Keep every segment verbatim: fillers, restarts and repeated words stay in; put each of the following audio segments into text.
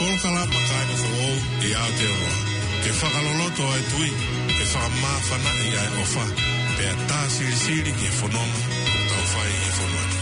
Polokalama Kāinga Foʻou ʻi Aotearoa. Ke fakaloloto ʻa e tui, ke fakamāfanaʻi ʻa e ʻofa, pea tā silisili ki he fononga ʻoku tau fai ʻi he fonua ni.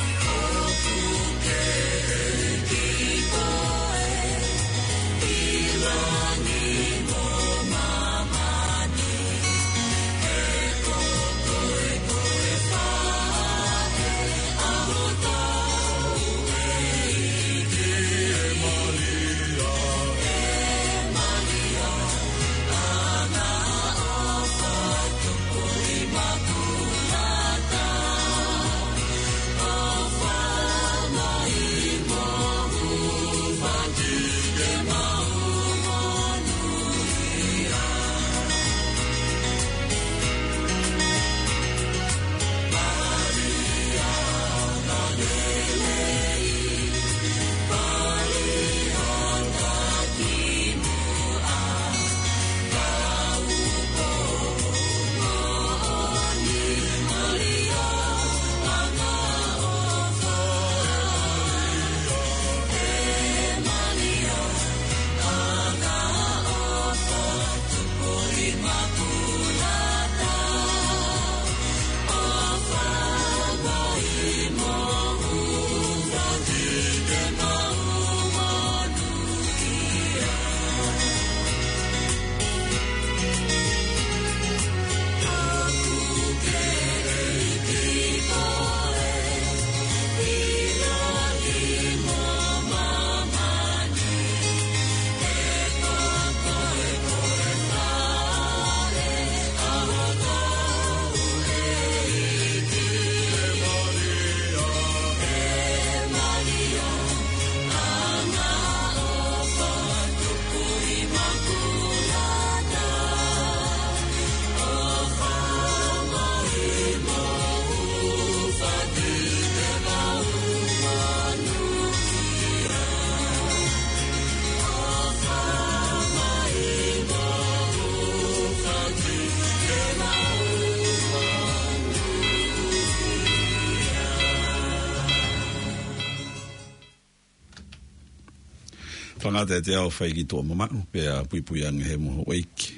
Tangata e te au fai ki tuʻa mamaʻu, pea puipui ange he moho ʻeiki.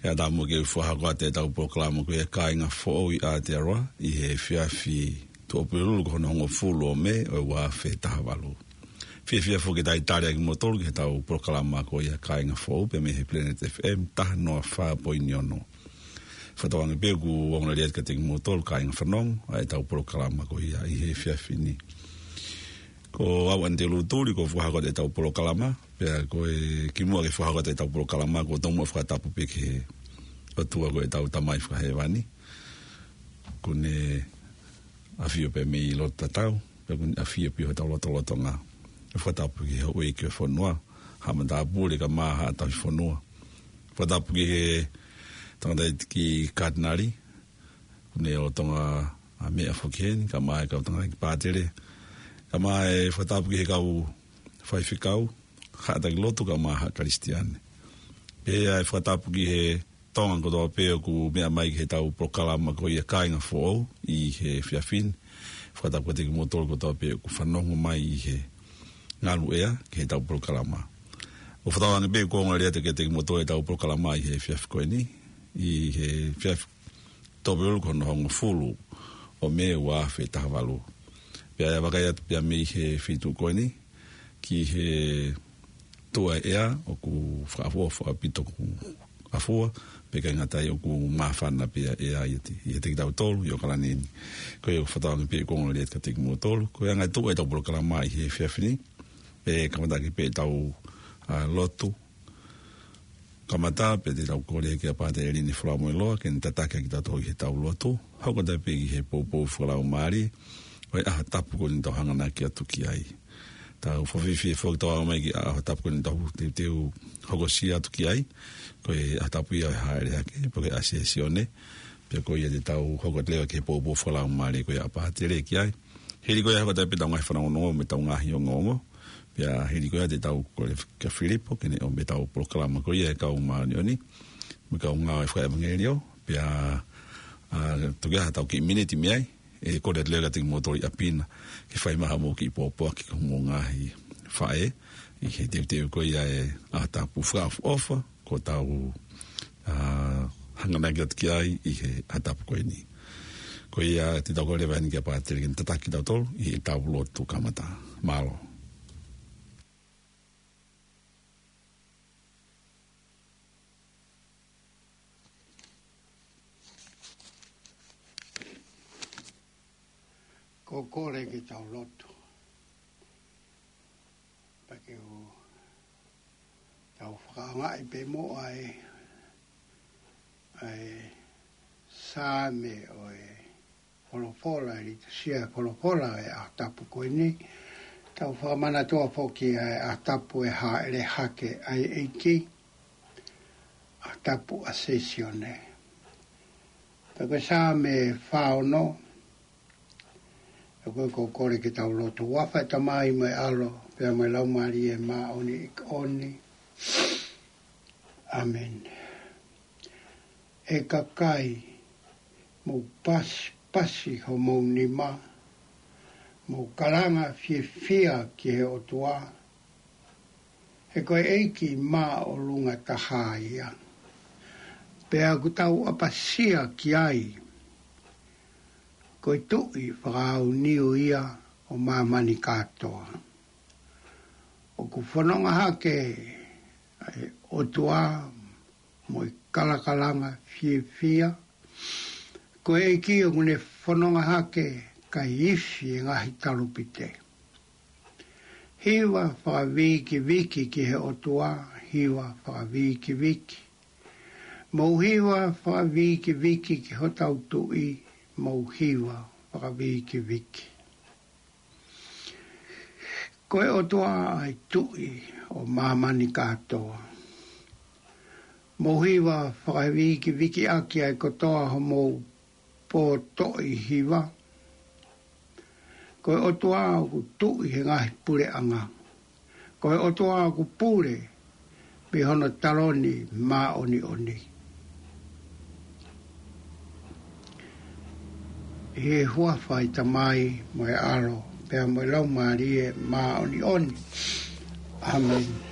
ʻE ʻatā muʻa ke u fakahoko atu ʻetau polokalama ko ia Kāinga Foʻou ʻi Aotearoa, ʻi he efiafi Tuʻapulelulu ko hono hongofulu ʻo Mē ʻo e ua afe taha valu. Fiefia foki ke talitali ʻa kimoutolu ki heʻetau polokalama ko ia Kāinga Foʻou, pea mei he Planet F M taha noa fā poini ono. Fakatauange pē ʻoku ongo lelei atu kiate kimoutolu kāinga fanongo ʻa ʻetau polokalama ko ia ʻi he efiafi ni. Ko au Anite Lutuli, ko e fakahoko atu ʻetau polokalama, pea ko e kimuʻa ke fakahoko atu ʻetau polokalama, ʻoku ou tomuʻa fakatapu pē ki he ʻOtua ko ʻetau Tamai Fakahēvani. ʻOku ne ʻafio pē mei loto tatau, pea ʻoku ne ʻafio pē ʻi hotau lotolotonga. ʻE fakatapu ki he houʻeiki ʻo e fonua, Haʻa Matāpule kae ʻumaʻā Haʻa Tauhi Fonua. Fakatapu ki he tangataʻeiki Katinali, ʻoku ne lolotonga ʻa meʻa foki heni, kae ʻumaʻā e kau tangataʻeiki pātele, kae ʻumaʻā e fakatapu ki he kau faifekau, haʻa taki lotu kae ʻumaʻā haʻa Kalisitiane. Pea ʻe fakatapu ki he Tonga kotoa pē ʻoku meʻa mai ki heʻetau polokalama ko ia Kāinga Foʻou ʻi he efiafi ni. Fakatapu kiate kimoutolu kotoa pē ʻoku fanongo mai ʻi he ngaluʻea ki heʻetau polokalama. ʻOku fakatauange pē ʻoku ongo lelei atu kiate kimoutolu ʻetau polokalama ʻi he efiafi ko eni, ʻi he efiafi Tuʻapulelulu ko hono hongofulu ʻo Mē ua afe taha valu. Pea ʻe vakai atu pē mei he feituʻu ko eni ki he tuʻa ʻea ʻoku fakaʻofoʻofa ʻaupito ʻoku ʻafua, pea ʻikai ngata ai ʻoku māfana pē ʻa e ʻea ʻiate, ʻiate kitautolu ʻi ʻAokalani ni. Ko ia ʻoku fakatauange pē ʻoku ongo lelei atu kiate kimoutolu. Ko e anga e tuʻu ʻetau polokalama ʻi he efiafi ni, ʻe kamata ʻaki pē ʻetau, ʻa, lotu kamata, pea te tau kole ki he Pātele Lini Folamoiloa ke ne tataki kitautolu ʻi heʻetau lotu. Hoko atu pē ki he poupou fakalaumālie ʻo e ʻaho tapu ko eni ʻoku tau hanganaki atu ki ai. Tau fakafiefia foki ʻetau aʻu mai ki he ʻaho tapu ko eni ʻoku tau teuteu hokosia atu ki ai, ko e ʻaho tapu ia ʻo e Hāʻele Hake, pe ko e Asesione. Pea ko ia te tau hoko atu leva ki he poupou fakalaumālie ko ia ʻa Pātele ki ai. Hili ko ia hoko atu pē ʻetau ngaahi fanongonongo mo ʻetau ngaahi ongoongo. Pea hili ko ia te tau kole kia Filipo ke ne ʻomai ʻetau polokalama ko ia e Kau Māʻoniʻoni mo e kau ngāue fakaʻevangeliō. Pea, ʻa, tuku ke ʻi ai haʻatau kiʻi miniti mei ai, ʻe kole atu leva kiate kimoutolu ʻi ʻapi na ke fai mai haʻamou kiʻi pōpoaki ki homou ngaahi faʻē, ʻi he teuteu ko ia e ʻaho tapu fakaʻofoʻofa, ko ʻetau, ā, hanganaki atu ki ai ʻi he ʻaho tapu ko eni. Ko ia te tau kole atu ki he Pātele ke ne tataki kitautolu ʻi heʻetau lotu kamata. Mālō. Ko e kole ke tau lotu. Pea ke u tau fakaʻaongaʻi pē mo ʻai, ʻai Saame ʻo e folofola, ʻi he litusia e folofola e ʻaho tapu ko eni. Tau fakamanatua foki ʻa e ʻaho tapu e hāʻele hake ʻa e ʻEiki, ʻaho tapu ʻa Sesione. Pea ko e Saame fā ono, ʻa ia ko e kole ke tau lotu. ʻI he huafa ʻo e Tamai mo e ʻAlo, pea mo e Laumālie Māʻoniʻoni. ʻĀmeni. ʻE kakai, mou pasipasi homou nima, mou kalanga fiefia ki he ʻOtua, he ko e ʻEiki māʻolunga taha ia. Pea ʻoku tau ʻapasia ki ai, ko e Tuʻi fakaʻaoniu ia ʻo māmani kātoa. ʻOku fononga hake ʻa e ʻOtua mo e kalakalanga fiefia. Ko e ʻEiki ʻoku ne fononga hake kae ifi e ngaahi talupite. Hiva fakavikiviki ki he ʻOtua, hiva fakavikiviki. Mou hiva fakavikiviki ki hotau Tuʻi, mou hiva fakavikiviki. Ko e ʻOtua ʻa e Tuʻi ʻo māmani kātoa. Mou hiva fakavikiviki ʻaki ʻa e kotoa homou pōtoʻi hiva. Ko e ʻOtua ʻoku tuʻi he ngaahi puleʻanga. Ko e ʻOtua ʻoku pule mei hono taloni māʻoniʻoni. ʻI he huafa ʻo e Tamai mo e ʻAlo, pea mo e Laumālie Māʻoniʻoni. ʻĀmeni.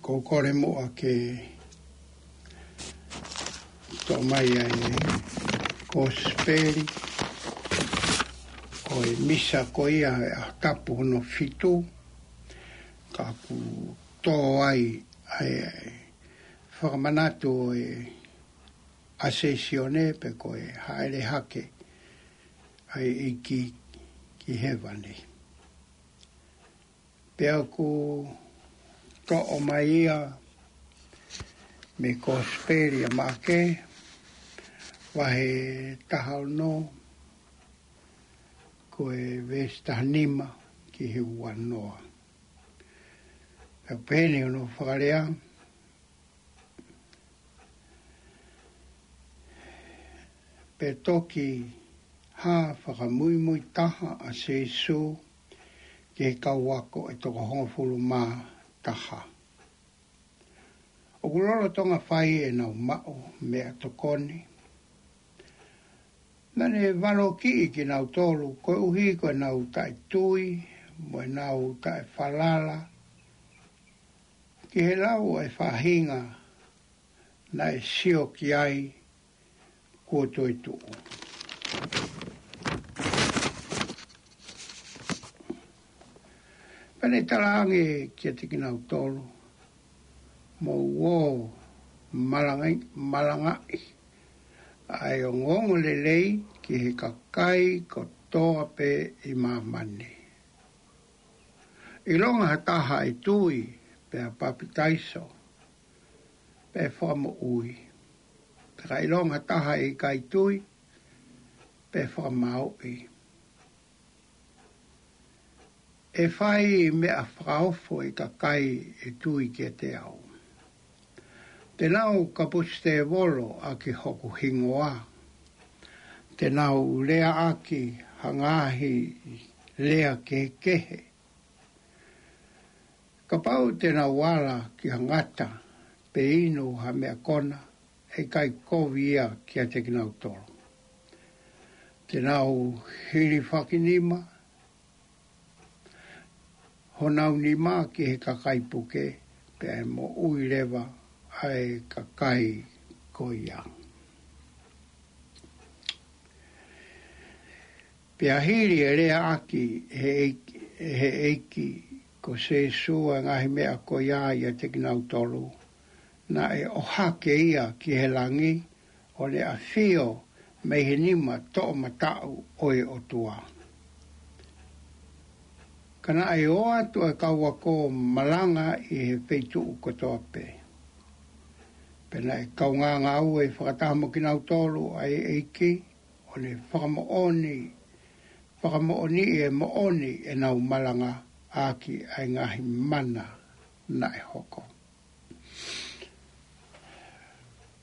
Ko e kole muʻa ke toʻo mai ʻa e Kosipeli ʻo e Misa ko ia ʻo e ʻaho tapu hono fitu, ka ʻoku tō ai ʻa e fakamanatu ʻo e Asesione pe ko e hāʻele hake ʻa e ʻEiki ki hēvani. Pea ʻoku toʻo mai ia mei he Kosipeli ʻa Maʻake, vahe taha ono, ko e veesi taha nima ki he ua noa. Pea pehē ni hono fakalea: Pea toki hā fakamuimui taha ʻa Sīsū ki he kau ako ʻe toko hongofulu mā taha. ʻOku lolotonga fai ʻenau maʻu meʻatokoni, naʻa ne valokiʻi kinautolu koeʻuhi ko ʻenau taʻetui mo ʻenau taʻefalala ki he lau ʻa e faʻahinga naʻe sio ki ai kuo toetuʻu. Pea ne talaange kiate kinautolu: Mou ō ʻo malangaʻi, malangaʻi ʻa e ongoongolelei ki he kakai kotoa pē ʻi māmani. ʻIlonga ha taha ʻe tui pea papitaiso, pea ʻe fakamoʻui. Ka ʻilonga ha taha ʻe ʻikai tui, pea ʻe fakamāuʻi. ʻE fai meʻa fakaofo ʻi he kakai ʻe tui kiate au. Te nau kapusi tēvolo ʻaki hoku hingoa. Te nau leaʻaki ha ngaahi lea kehekehe. Kapau te nau ala ki ha ngata pe inu ha meʻa kona, ʻe ʻikai kovi ia kiate kinautolu. Te nau hilifaki nima honau nima ki he kakai puke, pea ʻe moʻui leva ʻa e kakai ko ia. Pea hili ʻa e leaʻaki ʻe he ʻEiki, ʻe he ʻEiki ko Sīsū ʻa e ngaahi meʻa ko ia ʻiate kinautolu, naʻe ʻohake ia ki he langi, ʻo ne ʻafio mei he nima toʻomataʻu ʻo e ʻOtua. Ka naʻe ō atu ʻa e kau ako ʻo malanga ʻi he feituʻu kotoa pē. Pea naʻe kaungā ngāue fakataha mo kinautolu ʻa e ʻEiki, ʻo ne fakamoʻoni, fakamoʻoniʻi ʻa e moʻoni ʻenau malanga ʻaki ʻa e ngaahi mana naʻe hoko.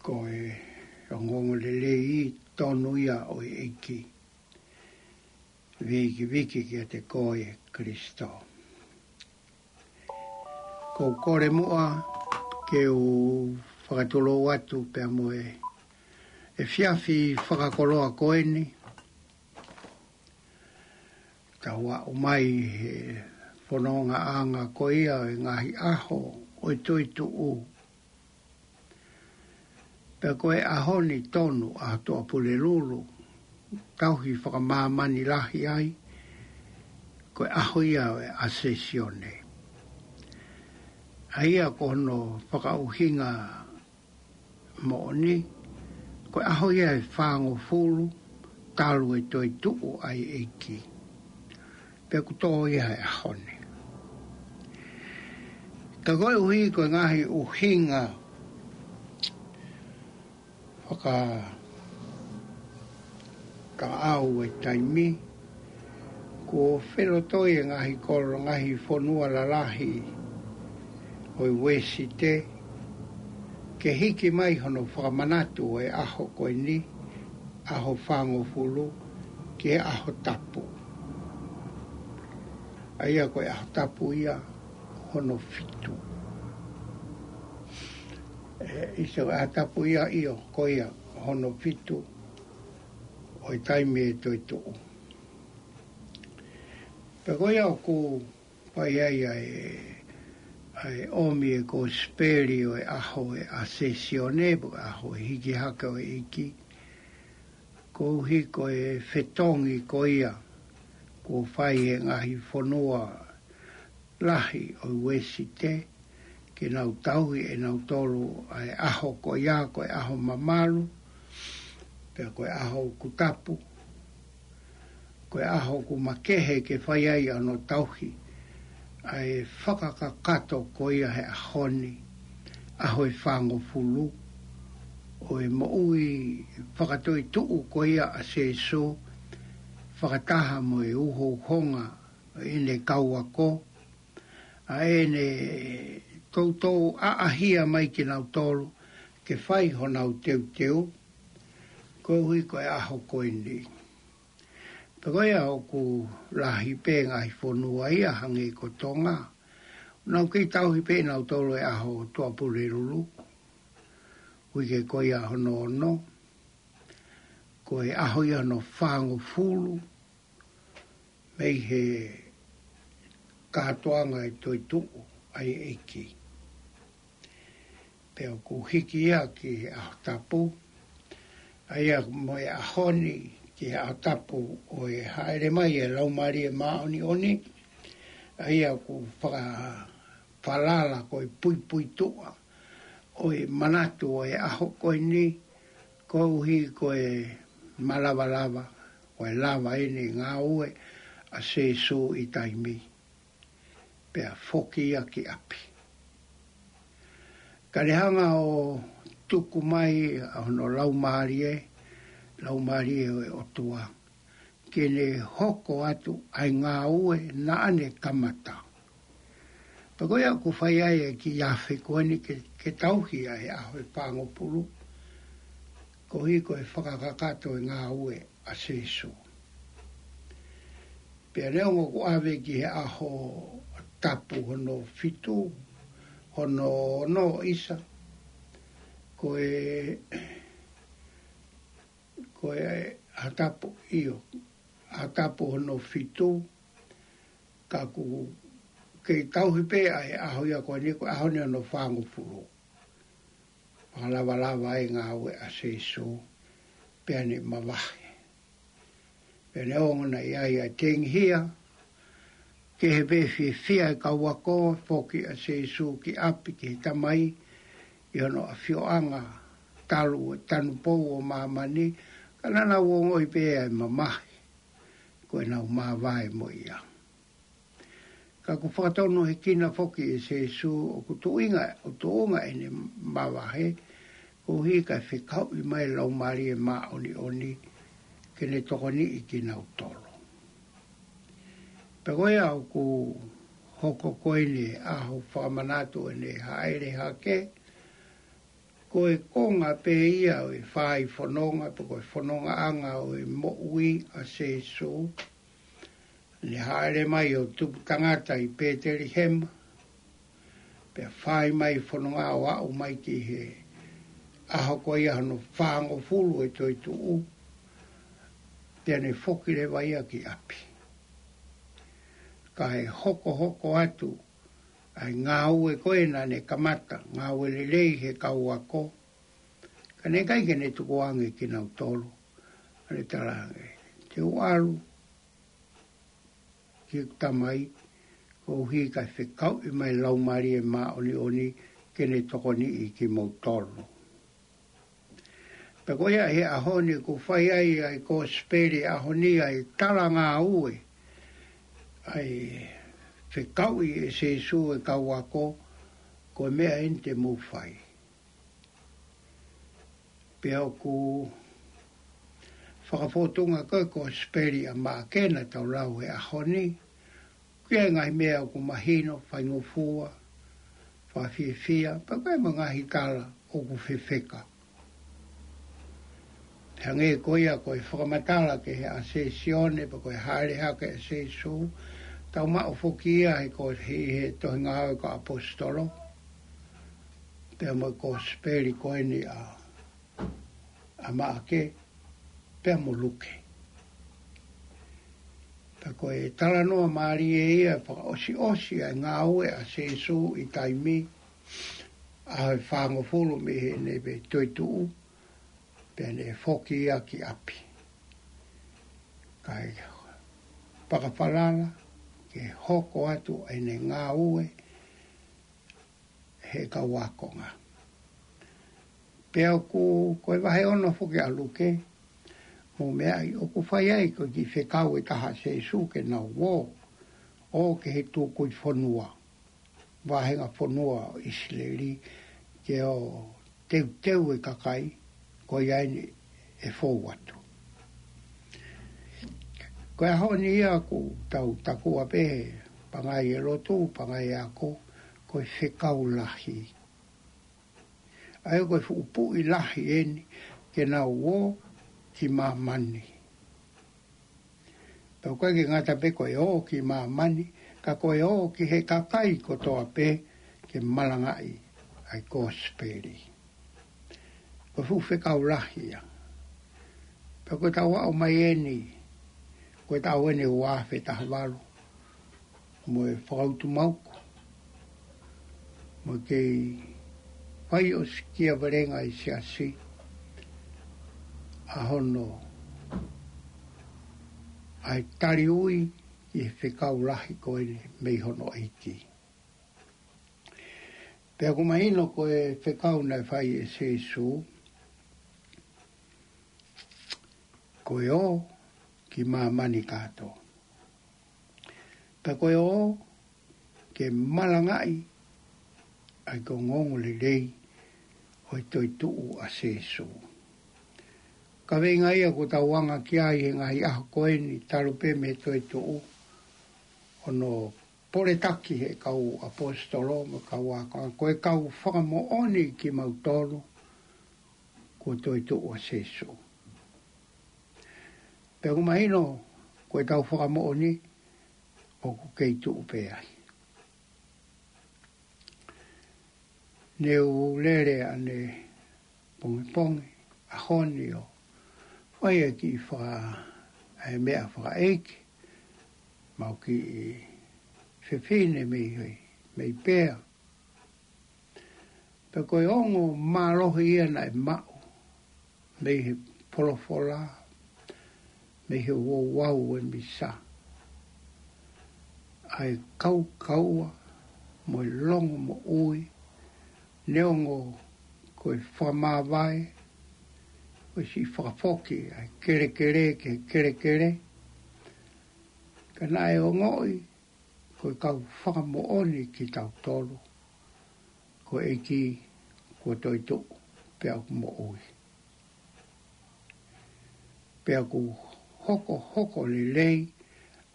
Ko e ongoongolelei tonu ia ʻo e ʻEiki. Vikiviki kiate koe Kalaisi. Ko e kole muʻa ke u fakatulou atu pea mo e efiafi fakakoloa ko eni. Tau aʻu mai he fonongaʻanga ko ia ʻo e ngaahi ʻaho ʻo e toetuʻu. Pea ko e ʻaho ni tonu, ʻaho Tuʻapulelulu, tauhi fakamāmani lahi ai, ko e ʻaho ia ʻo e Asesione. ʻA ia ko hono fakaʻuhinga moʻoni, ko e ʻaho ia ʻe fāngofulu talu e toetuʻu ʻa e ʻEiki. Pea ʻoku tō ia he ʻaho ni. Ka koeʻuhi ko e ngaahi ʻuhinga fakakaʻau ʻa e taimi, kuo felotoi e ngaahi kolo, ngaahi fonua lalahi ʻo e Uēsite, ke hiki mai hono fakamanatu ʻo e ʻaho ko eni, ʻaho fāngofulu, ki he ʻaho tapu. ʻA ia ko e ʻaho tapu ia hono fitu. ʻE, ʻi he ʻaho tapu ia ʻio, ko ia hono fitu ʻo e taimi ʻe toetuʻu. Pea ko ia ʻoku fai ai ʻa e ʻa e ʻomi e kosipeli ʻo e ʻaho ʻo e ʻAsesione, pe ko e ʻaho ʻo e hiki hake ʻo e ʻEiki. Koeʻuhi ko e fetongi ko ia kuo fai he ngaahi fonua lahi ʻo e Uēsite, ke nau tauhi ʻe nautolu ʻa e ʻaho ko ia, ko e ʻaho mamalu, pea ko e ʻaho ʻoku tapu, ko e ʻaho ʻoku makehe ke fai ai ʻa hono tauhi ʻa e fakakakato ko ia he ʻaho ni, ʻaho ʻe fāngofulu ʻo e moʻui fakatoetuʻu ko ia ʻa Sēsū, fakataha mo e uhouhonga ʻo ʻene kau ako, ʻa ʻene toutou ʻaʻahia mai kinautolu ke fai honau teuteu, koeʻuhi ko e ʻaho ko eni. Pea ko ia ʻoku lahi pē ngaahi fonua ia hangē ko Tonga, nau kei tauhi pē nautolu e ʻaho Tuʻapulelulu, uike ko ia hono ono, ko e ʻaho ia hono fāngofulu mei he kātoanga e toetuʻu ʻa e ʻEiki. Pea ʻoku hiki ia ki he ʻaho tapu, ʻa ia mo e ʻaho ni ki he ʻaho tapu ʻo e hāʻele mai e Laumālie Māʻoniʻoni, ʻa ia ʻoku fakafalala ko e puipuituʻa ʻo e manatu ʻo e ʻaho ko eni, koeʻuhi ko e malavalava, ko e lava ʻene ngāue ʻa Sēsū ʻi taimi, pea foki ia ki ʻapi. Ka ne hanga ʻo tuku mai ʻa hono Laumālie, Laumālie ʻo e ʻOtua, ke ne hoko atu ʻa e ngāue naʻa ne kamata. Pea ko ia ʻoku fai ai e kiʻi afe ko eni ke, ke tauhi ʻa e ʻaho ʻe fāngofulu, koeʻuhi ko e fakakakato e ngāue ʻa Sēsū. Pea neongo ʻoku ʻave ki he ʻaho tapu hono fitu, hono ono ʻisa, ko e, ko e ʻaho tapu ʻio, ʻaho tapu hono fitu, ka ʻoku kei tauhi pē ʻa e ʻaho ia ko eni ko e ʻaho ni hono fāngofulu. Fakalavalava e ngāue ʻa Sēsū, pea ne mavahe. Pea neongo naʻe ʻi ai ʻa e tengihia, kehe pē fiefia e kau ako, foki ʻa Sēsū ki ʻapi ki he Tamai, ʻi hono ʻafioʻanga talu e tanupou ʻo māmani, ka naʻa nau ongoʻi pē ʻa e mamahi, ko ʻenau māvae mo ia. Ka ʻoku fakatonuhia foki ʻe Sēsū ʻoku tuʻunga, ʻoku tuʻunga ʻene mavahe, koeʻuhi kae fekauʻi mai Laumālie Māʻoniʻoni ke ne tokoniʻi kinautolu. Pea ko ia ʻoku hoko ko eni ʻaho fakamanatu ʻene hāʻele hake, ko e konga pē ia ʻo e fai fononga, pe ko e fonongaʻanga ʻo e moʻui ʻa Sēsū, ne hāʻele mai ʻo tupu tangata ʻi Pētelihema, pea fai mai fononga ʻo aʻu mai ki he ʻaho ko ia hono fāngofulu e toetuʻu, pea ne foki leva ia ki ʻapi. Kae hokohoko atu ʻa e ngāue ko ē naʻa ne kamata, ngāue lelei he kau ako, ka naʻe ʻikai ke ne tukuange kinautolu, ʻa ne talaange, te u ʻalu ki heʻeku Tamai, koeʻuhi kae fekauʻi mai Laumālie Māʻoniʻoni ke ne tokoniʻi kimoutolu. Pea ko ia he ʻaho ni ʻoku fai ai ʻa e kosipeli ʻaho ni, ʻa e talangāue, ʻa e fekauʻi ʻe Sēsū e kau ako, ko e meʻa eni te mou fai. Pea ʻoku fakafōtunga ko e kosipeli ʻa Maʻake naʻa tau lau he ʻaho ni, ʻoku ʻi ai e ngaahi meʻa ʻoku mahino, faingofua, fakafiefia, pea ʻoku ʻi ai mo e ngaahi tala ʻoku fefeka. Hangē ko ia ko e fakamatala ki he ʻAsesione, pe ko e hāʻele hake ʻa Sēsū, tau maʻu foki ia he ko e, he, he tohi Ngāue ʻa e Kau ʻAposetolo, pea mo e kosipeli ko eni ʻa, ʻa Maʻake, pea mo Luke. Pea ko e talanoa mālie ia, fakaʻosiʻosi ʻa e ngāue ʻa Sīsū ʻi taimi, ʻaho ʻe fāngofulu mei heʻene toetuʻu, pea ne foki ia ki ʻapi. Kae fakafalala ke hoko atu ʻene ngāue he kau ākonga. Pea ʻoku, ko e vahe ono foki ʻa Luke, mou meaʻi ʻoku fai ai ko e kiʻi fekau ʻe taha ʻa Sīsū ke nau ō, ō ki he tukui fonua, vāhenga fonua ʻo ʻIsileli, ke ō teuteu e kakai, ko ia eni ʻe fou atu. Ko e ʻaho ni ia ʻoku tau takua pē he pangai e lotu, pangai e ako, ko e fekau lahi. ʻA ia ko e fuʻu puʻi lahi eni ke nau ō ki māmani. Pea ʻoku ʻikai ke ngata pē ko e ō ki māmani, ka ko e ō ki he kakai kotoa pē ke malangaʻi ʻa e kosipeli. Ko e fuʻu fekau lahi ia. Pea ko e taʻu ʻaʻau mai eni, ko e taʻu eni ua afe taha valu, mo e fakautumaʻu, mo e kei fai ʻo sikia velenga ʻi he siasi, ʻa hono, ʻa e taliui ki he fekau lahi ko eni mei hono ʻEiki. Pea ʻoku mahino ko e fekau naʻe fai ʻe Sīsū, ko e ō ki māmani kātoa. Pea ko e ō ke malangaʻi ʻa e ongoongolelei ʻo e toetuʻu ʻa Sīsū. Kaveinga ia ʻoku tau anga ki ai he ngaahi ʻaho ko eni talu pē mei he toetuʻu, hono poletaki he kau ʻaposetolo mo e kau ākonga, ko e kau fakamoʻoni kimautolu kuo toetuʻu ʻa Sīsū. Pea ʻoku mahino ko e tau fakamoʻoni ʻoku kei tuʻu pē ai. Ne u lele ʻanepongipongi ʻaho ni ʻo fai e kiʻi faka-, e meʻa fakaʻeiki, maʻu kiʻi fefine mei he, mei Pea. Pea ko e ongo mālohi ia naʻe maʻu mei he folofola, mei he ouau ʻo e misa, ʻa e kaukaua mo e longomoʻui, neongo ko e fakamāvae, ko e siʻi fakafoki ʻa e kelekele ki he kelekele, ka naʻe ongoʻi ko e kau fakamoʻoni kitautolu ko e ʻEiki kuo toetuʻu pea ʻoku moʻui. Pea ʻoku hokohoko lelei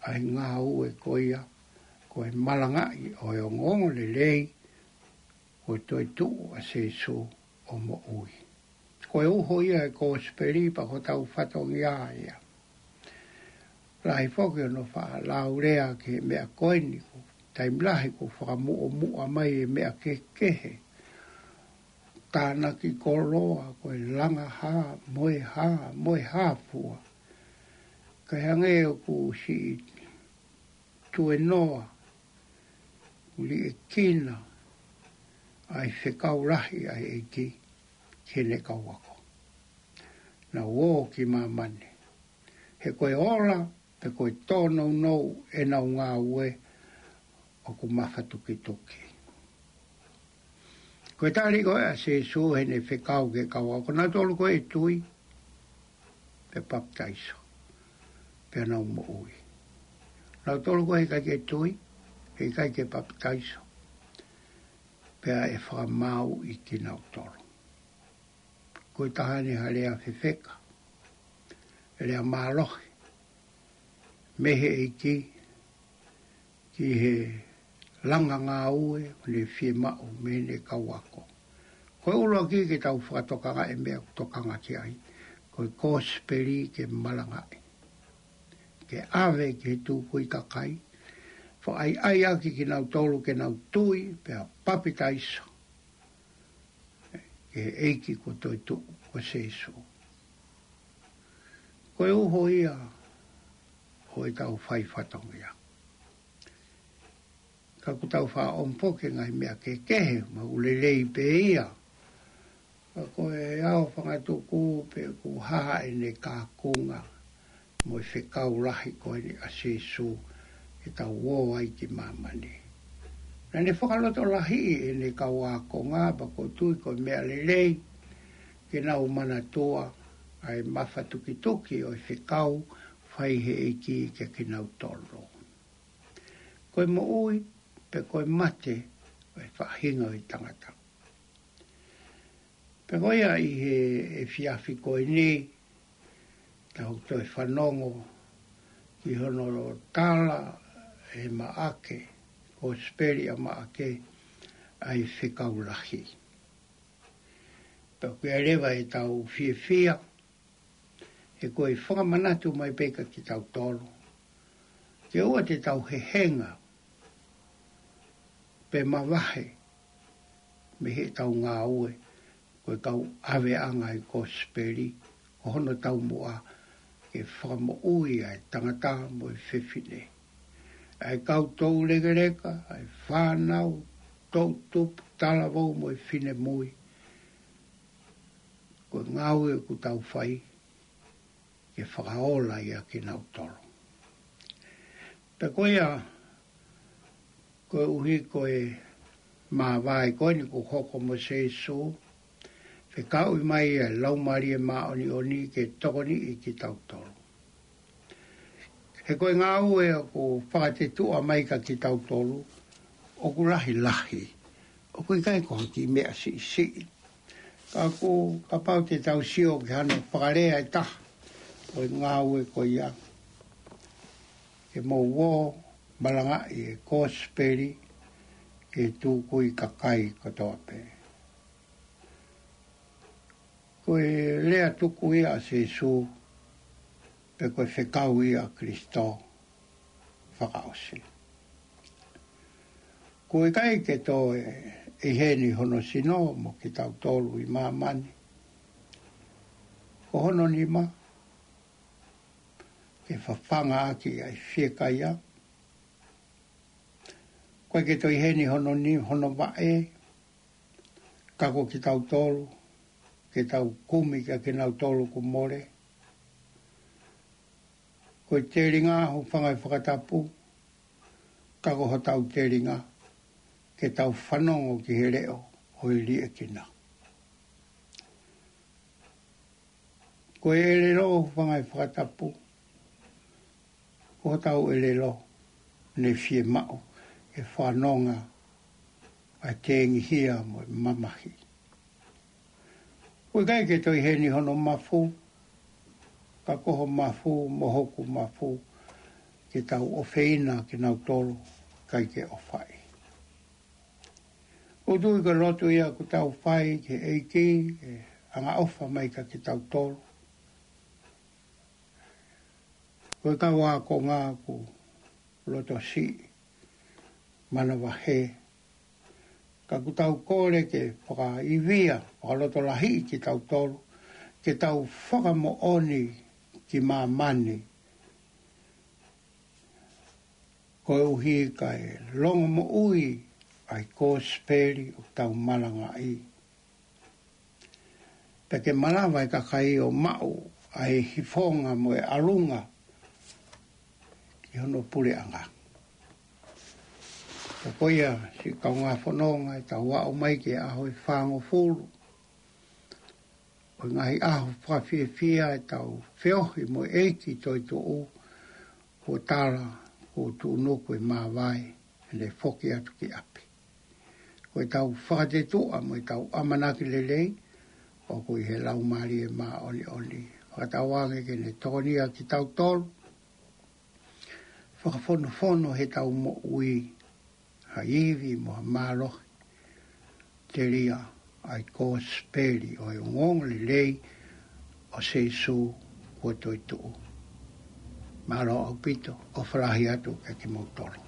ʻa e ngāue ko ia, ko e malangaʻi ʻo e ongoongolelei kuo toetuʻu ʻa Sīsū ʻo moʻui. Ko e uho ia e kosipeli pea ko hotau fatongia ia. Lahi foki hono faʻa laulea ki he meʻa ko eni, ko e taimi lahi ʻoku fakamuʻomuʻa mai e meʻa kehekehe. Tānaki koloa, ko e langa hā, mo e hā, mo e hā fua. Kae hangē ʻoku siʻi tuenoa, liʻekina ʻa e fekau lahi ʻa e ʻEiki ki heʻene kau ako. Nau ō ki māmani. He ko e ola, pea ko e tōnounou ʻenau ngāue ʻoku mafatukituki. Ko e tali ko ē ʻa Sīsū heʻene fekau ki he kau ako, ko nautolu ko ē ʻe tui, pea papitaiso, pea nau moʻui. Nautolu ko ē heʻikai ke tui, heʻikai ke papitaiso, pea ʻe fakamāuʻi kinautolu. Ko e taha eni ha lea fefeka, lea mālohi mei he ʻEiki ki he langa ngāue ʻoku ne fiemaʻu mei heʻene kau ako. Ko e ʻuluaki ke tau fakatokangaʻi e meʻa ʻoku tokanga ki ai, ko e kosipeli ke malangaʻi, ke ʻave ki he tukui kakai, fakaʻaiʻai ʻaki kinautolu ke nau tui pea papitaiso ki he ʻEiki kuo toetuʻu ko Sīsū. Ko e uho ia ʻo ʻo ʻetau fai fatongia. Ka ʻoku tau faʻa ʻomi foki e ngaahi meʻa kehekehe, ma ʻoku lelei pē ia. Ka ko e ʻao fangatuku pē ʻoku hā ʻene kakunga mo e fekau lahi ko eni ʻa Sīsū ʻetau ō ai ki māmani. Naʻa ne fakalotolahiʻi ʻene kau ākonga, pea ʻoku ou tui ko e meʻa lelei ke nau manatua ʻa e mafatukituki ʻo e fekau fai he ʻEiki kiate kinautolu. Ko e moʻui, pe ko e mate, ʻo e faʻahinga ʻo e tangata. Pea ko ia ʻi he efiafi ko eni, tau toe fanongo ki hono tala ʻe Maʻake, Kosipeli ʻa Maʻake, ʻa e fekau lahi. Pea ʻoku ʻi ai leva ʻetau fiefia, he ko e fakamanatu mai pē kiate kitautolu ke ʻoua te tau hehenga pe mavahe mei heʻetau ngāue, ko e kau ʻaveʻanga ʻi he Kosipeli, ko hono taumuʻa ke fakamoʻui ʻa e tangata mo e fefine, ʻa e kau toulekeleka, ʻa e fānau, toʻutupu, talavou mo e finemui. Ko e ngāue ʻoku tau fai ke fakaola ia kinautolu. Pea ko ia, koeʻuhi ko e māvae ko eni kuo hoko mo Sīsū, fekauʻi mai ʻa e Laumālie Māʻoniʻoni ke tokoniʻi kitautolu. He ko e ngāue ʻoku fakatetuʻa mai kiate kitautolu, ʻoku lahilahi. ʻOku ʻikai ko ha kiʻi meʻa siʻisiʻi. Ka ʻoku, kapau te tau sio ki hano fakalea ʻe taha ʻo e ngāue ko ia, ke mou ō malangaʻi e Kosipeli ki he tukui kakai kotoa pē. Ko e lea tuku ia ʻa Sīsū, pe ko e fekau ia ʻa Kalaisi fakaʻosi. ʻOku ʻikai ke toe ʻi heni hono sino mo kitautolu ʻi māmani. Ko hono nima, ke fafanga ʻaki ʻa e fiekaia. ʻOku ʻikai ke toe ʻi heni hono ni, hono vaʻe, ka ko kitautolu, ke tau kumi kiate kinautolu kuo mole. Ko e telinga, hūfanga he fakatapu, ka ko hotau telinga, ke tau fanongo ki he leʻo ʻo e liʻekina. Ko e ʻelelo, hūfanga he fakatapu, ko hotau ʻelelo, ne fiemaʻu ke fanongo ʻa e tengihia mo e mamahi. ʻOku ʻikai ke toe ʻi heni hono mafu, ka ko ho mafu mo hoku mafu, ke tau ʻofeina kinautolu ʻoku ʻikai ke ʻofaʻi. ʻOku ou tui ko e lotu ia ʻoku tau fai ki he ʻEiki, ke angaʻofa mai kiate kitautolu. Ko e kau ākonga ʻoku loto siʻi, manavahē. Ka ʻoku tau kole ke fakaivia, fakalotolahiʻi kitautolu, ke tau fakamoʻoni ki māmani. Koeʻuhi kae longomoʻui ʻa e Kosipeli ʻoku tau malangaʻi. Pea ke malava e kakai ʻo maʻu ʻa e hifonga mo e ʻalunga ki hono puleʻanga. Pea ko ia, siʻi kaungā fononga, ʻetau aʻu mai ki he ʻaho ʻe fāngofulu ʻo e ngaahi ʻaho fakafiefia ʻetau feohi mo e ʻEiki toetuʻu, kuo tala kuo tuʻunuku e māvae, ʻene foki atu ki ʻapi. Ko ʻetau fakatetuʻa mo ʻetau ʻamanaki lelei, ʻoku ʻi he Laumālie Māʻoniʻoni. Fakatauange ke ne tokonia kitautolu, fakafonufonuʻi heʻetau moʻui ha ivi mo ha mālohi, telia ʻa e Kosipeli ʻo e ongoongolelei ʻo Sīsū kuo toetuʻu. Mālō ʻaupito, ʻofa lahi atu kiate kimoutolu.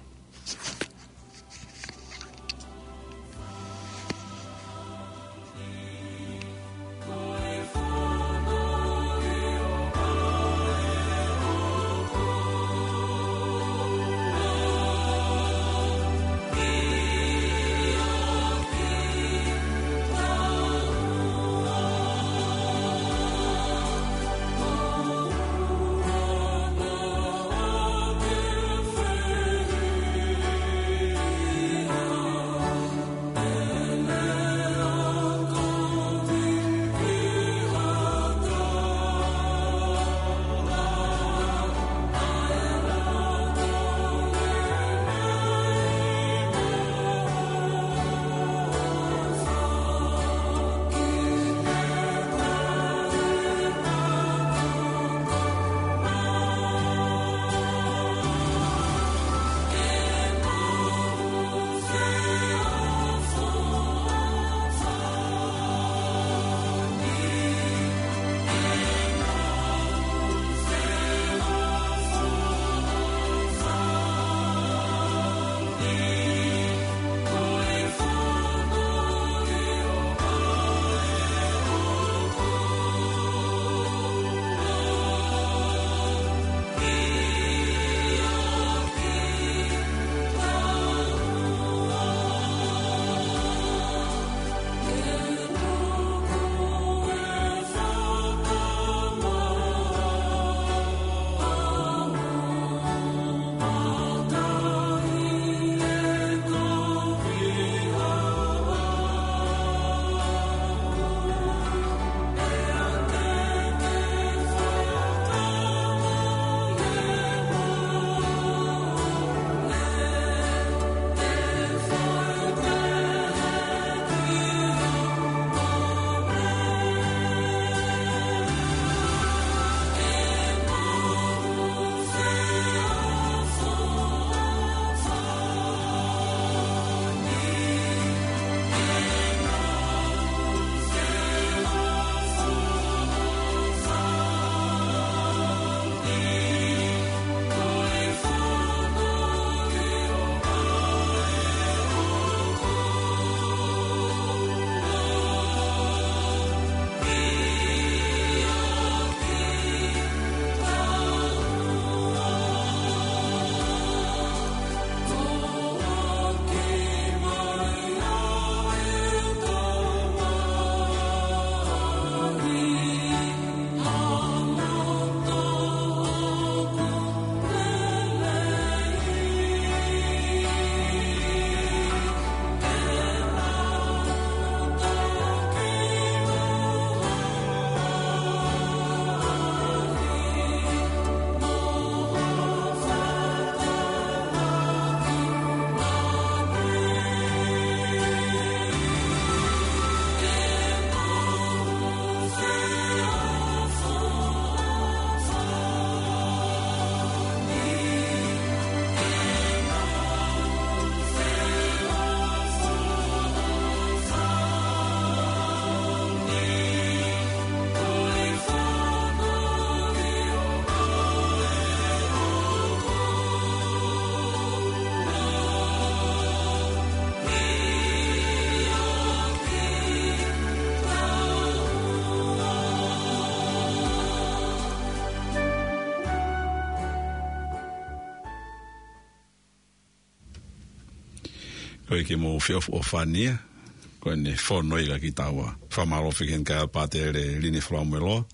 Ko e ke mou feʻofoʻofani ia, ko ʻene fono ia kiate kitaua. Fakamālō foki ki he kakai ʻa Pātele Lini Falamueloa,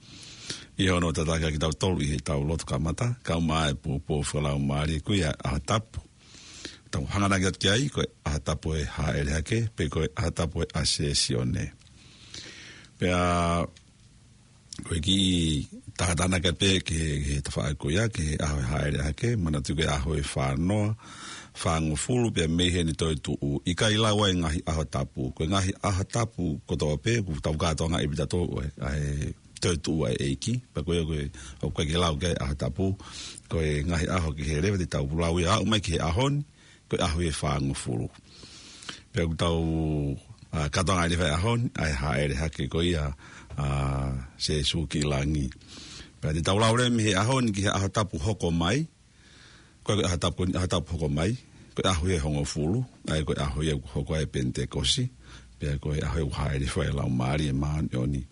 ʻi hono tataki kitautolu ʻi heʻetau lotu kamata, kae ʻumaʻā e pōpoaki fakalaumālie ko ia ʻa e ʻaho tapu. Tau hanganaki atu ki ai, ko e ʻaho tapu ʻo e Hāʻele Hake, pe ko e ʻaho tapu ʻo e Asesione. Pea ko e kiʻi tātānaki pē ki he, ki he tafaʻaki ko ia, ki he ʻaho ʻo e Hāʻele Hake, manatuʻi ko e ʻaho ʻe fānoa, fāngofulu, pea mei heni toetuʻu. ʻIkai lau ʻa e ngaahi ʻaho tapu. Ko e ngaahi ʻaho tapu kotoa pē, ʻoku tau kātoanga ʻi he pita tō, ʻa e toetuʻu ʻa e ʻEiki. Pea ko ia ko e, ʻoku ʻikai ke lau ki ai ʻaho tapu. Ko e ngaahi ʻaho kehe leva te tau lau ia aʻu mai ki he ʻaho ni, ko e ʻaho ʻe fāngofulu. Pea ʻoku tau, ʻa, kātoanga ʻi he fai ʻaho ni, ʻa e Hāʻele Hake ko ia, ʻa, Sēsū ki langi. Pea te tau lau leva mei he ʻaho ni ki he ʻaho tapu hoko mai, ko e ʻaho tapu, ʻaho tapu hoko mai, ko e ʻaho ʻe hongofulu, ʻa ia ko e ʻaho ia ʻoku hoko ai e Penitekosi, pea ko e ʻaho ʻoku hāʻele ai e Laumālie Māʻoniʻoni.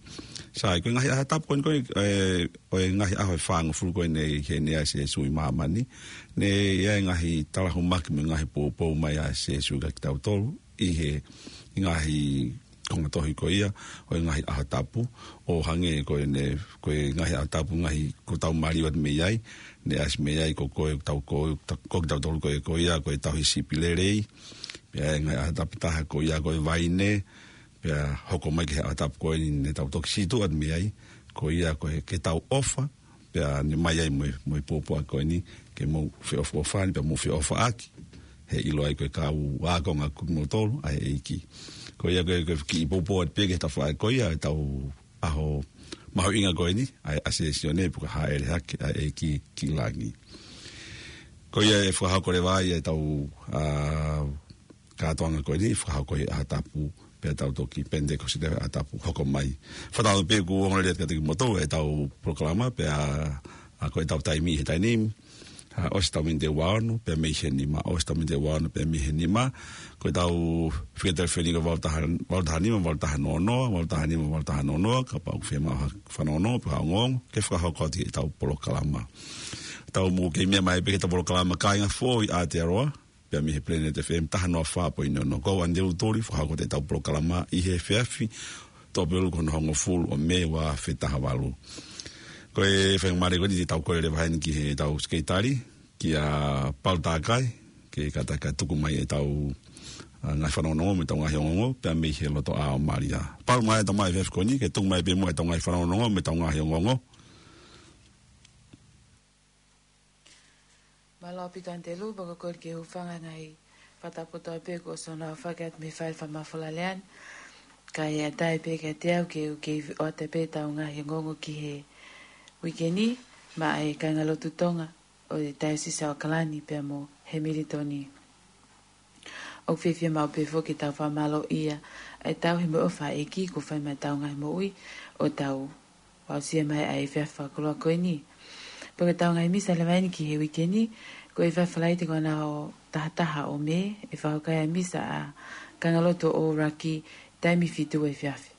Sai, ko e ngaahi ʻaho tapu ko eni ko e, ʻo e ngaahi ʻaho ʻe fāngofulu ko eni ʻi heʻene aʻu ʻa Sēsū ʻi māmani, naʻe ʻi ai e ngaahi talahumaki mo e ngaahi poupou mai ʻa Sēsū kiate kitautolu, ʻi he ngaahi konga tohi ko ia, ʻo e ngaahi ʻaho tapu, ʻo hangē ko ʻene, ko e ngaahi ʻaho tapu, ngaahi ʻoku tau maliu atu mei ai, naʻe ʻasi mei ai ko, ko e tau ko, ko kitautolu ko e, ko ia, ko e tauhi sipi lelei, pea ʻi he ngaahi ʻaho tapu ʻe taha ko ia ko e vaine, pea hoko mai ki he ʻaho tapu ko eni naʻa tau toki sītuʻa atu mei ai, ko ia ko e ke tau ʻofa, pea naʻe ʻomai ai mo e, mo e pōpoaki ko eni, ke mou feʻofoʻofani, pea mou feʻofaʻaki, he ʻiloa ai ko e kau ākonga ʻa kimoutolu ʻa e ʻEiki. Ko ia ko e, ko e kiʻi poupou atu pē ki he tafaʻaki ko ia, ʻetau ʻaho mahuʻinga ko eni, ʻa e Asesione, pe ko e Hāʻele Hake ʻa e ʻEiki ki langi. Ko ia ʻe fakahoko leva ai ʻetau, ʻa, kātoanga ko eni, fakahoko he ʻaho tapu, pea tau toki Penitekosi he ʻaho tapu hoko mai. Fakatauange pē ʻoku ongo lelei atu kiate kimoutolu ʻetau polokalama, pea, ʻa, ko ʻetau taimi he taimi ni, ʻa, ʻosi ʻetau miniti ʻe ua ono, pea mei he nima, ʻosi ʻetau miniti ʻe ua ono, pea mei he nima, ko ʻetau fika telefoni ko e valu taha, valu taha nima, valu taha noa noa, valu taha nima, valu taha noa noa, kapau ʻoku fiemaʻu ha fanongonongo, pe ha ongoongo, ke fakahoko atu ʻetau polokalama. Tau mou kei meʻa mai pē ki heʻetau polokalama Kāinga Foʻou ʻi Aotearoa, pea mei he Planet F M taha noa fā poini ono. Ko au Andrew Tuli, fakahoko atu ʻetau polokalama ʻi he efiafi, toʻo pē ʻuluaki hono hongofulu ʻo Mē ua afe taha valu. Ko e faingamālie ko eni te tau kole leva heni ki heʻetau sekelitali, kia Paul Takai, ke kātaki tuku mai ʻetau, ʻa, ngaahi fanongonongo mo ʻetau ngaahi ongoongo, pea mei he loto ʻa Malia. Paul, mai ʻetau mai efiafi ko eni, ke tuku mai pē muʻa ʻetau ngaahi fanongonongo mo ʻetau ngaahi ongoongo. Mālō ʻaupito Andrew, pea ko e kole ke u hūfanga he ngaahi fakatapu kotoa pē kuo ʻosi hono aofaki atu mei he fale fakamafola lea ni. Kae ʻatā pē kiate au ke u kei ʻoatu pē ʻetau ngaahi ongoongo ki he uike ni, maʻa e kāingalotu Tonga ʻo e Taiosisi ʻo ʻAokalani pea mo Hemilitoni. ʻOku fiefia maʻu pē foki ke tau fakamālōʻia ʻa e tauhi mo e ʻofa ʻa e ʻEiki kuo fai maʻa ʻetau ngaahi moʻui ʻo tau aʻusia mai ʻa e efiafi fakakoloa ko eni. Pea ko ʻetau ngaahi misa leva eni ki he uike ni, ko e efiafi Falaite ko hono taha taha ʻo Mē, ʻe fakahoko ai ʻa e misa ʻa e kāingalotu ʻo Ōraki, taimi fitu efiafi.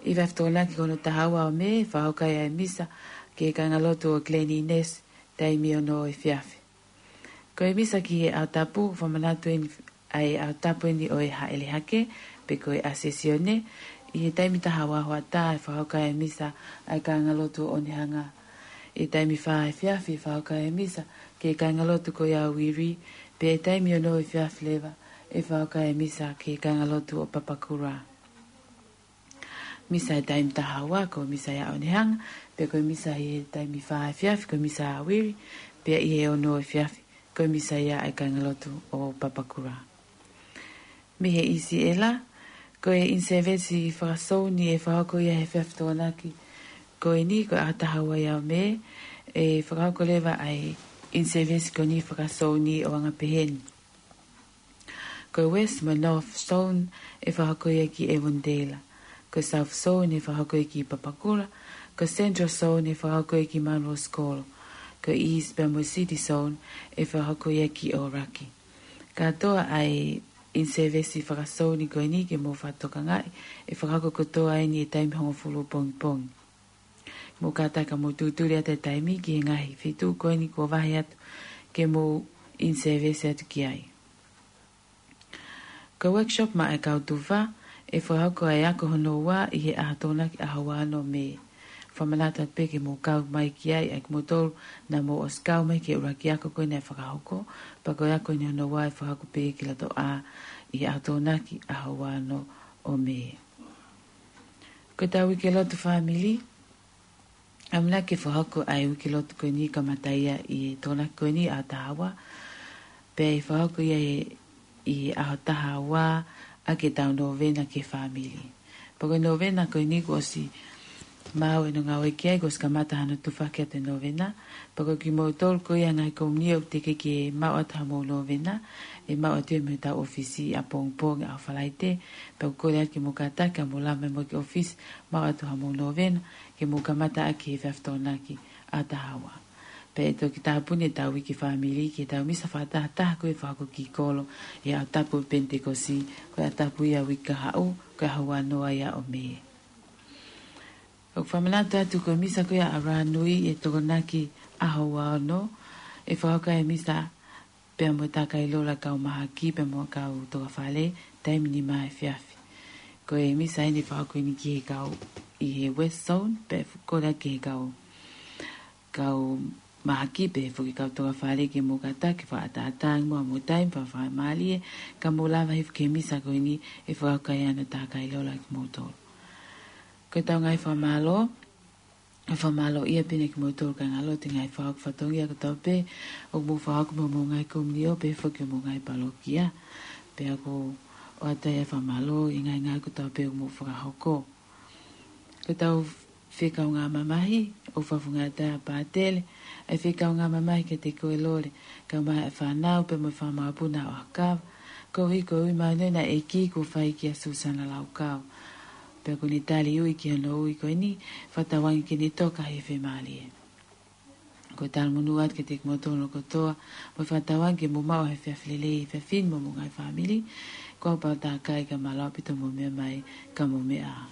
Efiafi Tokonaki ko hono taha ua ʻo Mē, ʻe fakahoko ai ʻa e misa ki he kāingalotu ʻo Glen Innes, taimi ono efiafi. Ko e misa ki he ʻaho tapu, fakamanatu eni ʻa e ʻaho tapu eni ʻo e Hāʻele Hake, pe ko e Asesione, ʻi he taimi taha ua hoʻatā ʻe fakahoko ai ʻa e misa ʻa e kāingalotu ʻo Onehunga. ʻI he taimi fā efiafi ʻe fakahoko ai ʻa e misa ki he kāingalotu ko ia ʻo Wiri, pea ʻi he taimi ono efiafi leva ʻe fakahoko ai ʻa e misa ki he kāingalotu ʻo Papakura. Misa he taimi taha ua ko e misa ia ʻo Onehunga, pea ko e misa he taimi fā efiafi ko e misa ʻa Wiri, pea ʻi he ono efiafi ko e misa ia ʻa e kāingalotu ʻo Papakura. Mei he ʻIsiʻela, ko e in-service fakasouni ʻe fakahoko ia he efiafi Tokonaki ko eni, ko e ʻaho taha ua ia ʻo Mē, ʻe fakahoko leva ʻa e in-service ko eni fakasouni ʻo anga pehē ni. Ko e West mo e North Zone ʻe fakahoko ia ki Avondale. Ko e South Zone ʻe fakahoko ia ki Papakura. Ko e Central Zone ʻe fakahoko ia ki Munros Kolo. Ko e East pea mo e City Zone ʻe fakahoko ia ki Ōraki. Kātoa ʻa e in-service fakasouni ko eni ke mou fakatokangaʻi, ʻe fakahoko kotoa eni he taimi hongofulu pongipongi. Mou kātaki mou tūtuli atu e taimi ki he ngaahi feituʻu ko eni kuo vahe atu ke mou in-service atu ki ai. Ko e workshop maʻa e kau tufa, ʻe fakahoko ai ʻa e ako hono ua ʻi he ʻaho Tokonaki ʻaho ua ono Mē. Fakamanatu atu pē ke mou kau mai ki ai ʻa kimoutolu naʻa mou ʻosi kau mai ki he ʻuluaki ako ko ē naʻe fakahoko, pea ko e ako eni hono ua ʻe fakahoko pē ki loto ʻā ʻi he ʻaho Tokonaki ʻaho ua ono ʻo Mē. Ko ʻetau uike lotu fāmili, ʻamanaki ke fakahoko ʻa e uike lotu ko eni kamata ia ʻi he Tokonaki ko eni ʻaho taha ua, pea ʻe fakahoko ia ʻi, ʻi he ʻaho taha ua ʻaki ʻetau novena ki he fāmili. Pea ko e novena ko eni kuo ʻosi maʻu ʻenau ngāue ki ai, kuo ʻosi kamata hano tufaki atu e novena. Pea ko kimoutolu ko ia ngaahi komiunitī ʻoku teʻeki ke maʻu atu hamou novena, ʻe maʻu atu ia mei hotau ʻōfisi ʻapongipongi ʻaho Falaite. Pea ʻoku kole atu ke mou kātaki ʻo mou lava mai muʻa ki he ʻōfisi, maʻu atu hamou novena, ke mou kamata ʻaki he efiafi Tokonaki ʻaho taha ua. Pea ʻe toki tāpuni ʻetau uike fāmili ki heʻetau misa fakatahataha ko ē ʻe fakahoko ki kolo ʻi he ʻaho tapu ʻo e Penitekosi, ko e ʻaho tapu ia ʻo e uike kahaʻu, ko e ʻaho ua noa ia ʻo Mē. ʻOku fakamanatu atu ko e misa ko ia ʻa Rahanui ʻi he Tokonaki ʻaho ua ono, ʻe fakahoko ai e misa pea mo e tākailola ʻa e kau mahaki pea mo e kau tokafale, taimi nima efiafi. Ko e misa eni ʻe fakahoko eni ki he kau ʻi he West Zone, pea ʻe kole ki he kau, kau mahaki pea foki kau tokafale ke mou kātaki fakaʻataʻatā muʻa mo taimi fakafaingamālie, ka mou lava hifo ki he misa ko eni ʻe fakahoko ai hano tākailola kimoutolu. Ko ʻetau ngaahi fakamālō, ʻe fakamālō ia pē eni kimoutolu kāingalotu he ngaahi fakahoko fatongia kotoa pē ʻoku mou fakahoko mo homou ngaahi komiunitī pea foki homou ngaahi palokia. Pea ʻoku ʻoatu ai e fakamālō ʻi he ngaahi ngāue kotoa pē ʻoku mou fakahoko. Ko ʻetau fekaungāmamahi, ʻoku fakafofongaʻi atu ʻe Pātele ʻa e fekaungāmamahi kiate koe Lole, kae ʻumaʻā e fānau pea mo e fanga mokopuna ʻo ʻAhokava, koeʻuhi ko e ui māʻoniʻoni ʻa e ʻEiki kuo fai kia Susana Laukau. Pea kuo ne tali ui ki hono ui ko eni, fakatauange ke ne toka ʻi he fiemālie. Ko e talamonū atu kiate kimoutolu kotoa, mo e fakatauange ke mou maʻu ha efiafi lelei he efiafi ni mo homou ngaahi fāmili. Ko au Paula Takai, ka mālō ʻaupito hoʻomou meʻa mai, ka mou meʻa ā.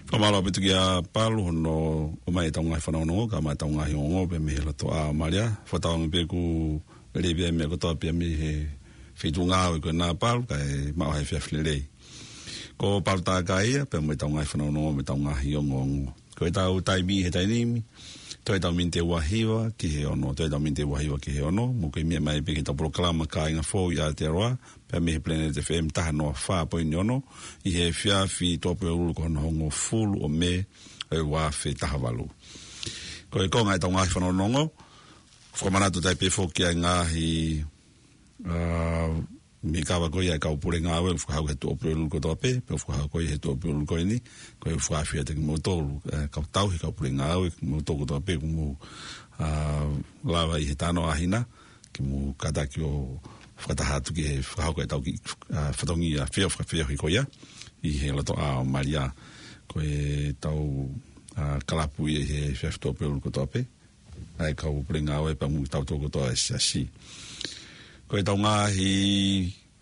Fakamālō ʻaupito kia Palu hono ʻomai ʻetau ngaahi fanongonongo, kae ʻumaʻā ʻetau ngaahi ongoongo pē mei he loto ʻā ʻo Malia. Fakatauange pē ʻoku lelei pē meʻa kotoa pē mei he feituʻu ngāue ko ena Palu, kae maʻu ha efiafi lelei. Ko Palu Takai ia, pea mo ʻetau ngaahi fanongonongo mo ʻetau ngaahi ongoongo. Ko ʻetau taimi he taimi ni, toe ʻetau miniti ʻe ua hiva ki he ono, toe ʻetau miniti ʻe ua hiva ki he ono, mou kei meʻa mai pē ki heʻetau polokalama Kāinga Fou ʻi Aotearoa, pea mei he Planet F M taha noa fā poini ono, ʻi he efiafi Tuʻapulelulu ko hono hongofulu ʻo Mē ʻo e ua afe taha valu. Ko e konga ʻetau ngaahi fanongonongo, fakamanatu atu pē foki ʻa e ngaahi, ā, meʻa kava ko ia ʻa e kau pule ngāue, ʻoku fakahoko he Tuʻapulelulu kotoa pē, pea ʻoku fakahoko ia he Tuʻapulelulu ko eni, ko e fakaafeʻi atu kimoutolu, ā, kau tauhi kau pule ngāue, kimoutolu kotoa pē, ʻoku mou, ā, lava ʻi he talanoa ʻaʻahi na, ke mou kātaki ʻo fakataha atu ki he fakahoko ʻetau kiʻi, ā, fatongia feo, fakafeohi ko ia, ʻi he loto ʻā ʻo Malia, ko ʻetau, ā, kalapu ia ʻi he efiafi Tuʻapulelulu kotoa pē, ʻa e kau pule ngāue pea mo kitautolu kotoa ʻa e siasi. Ko ʻetau ngaahi,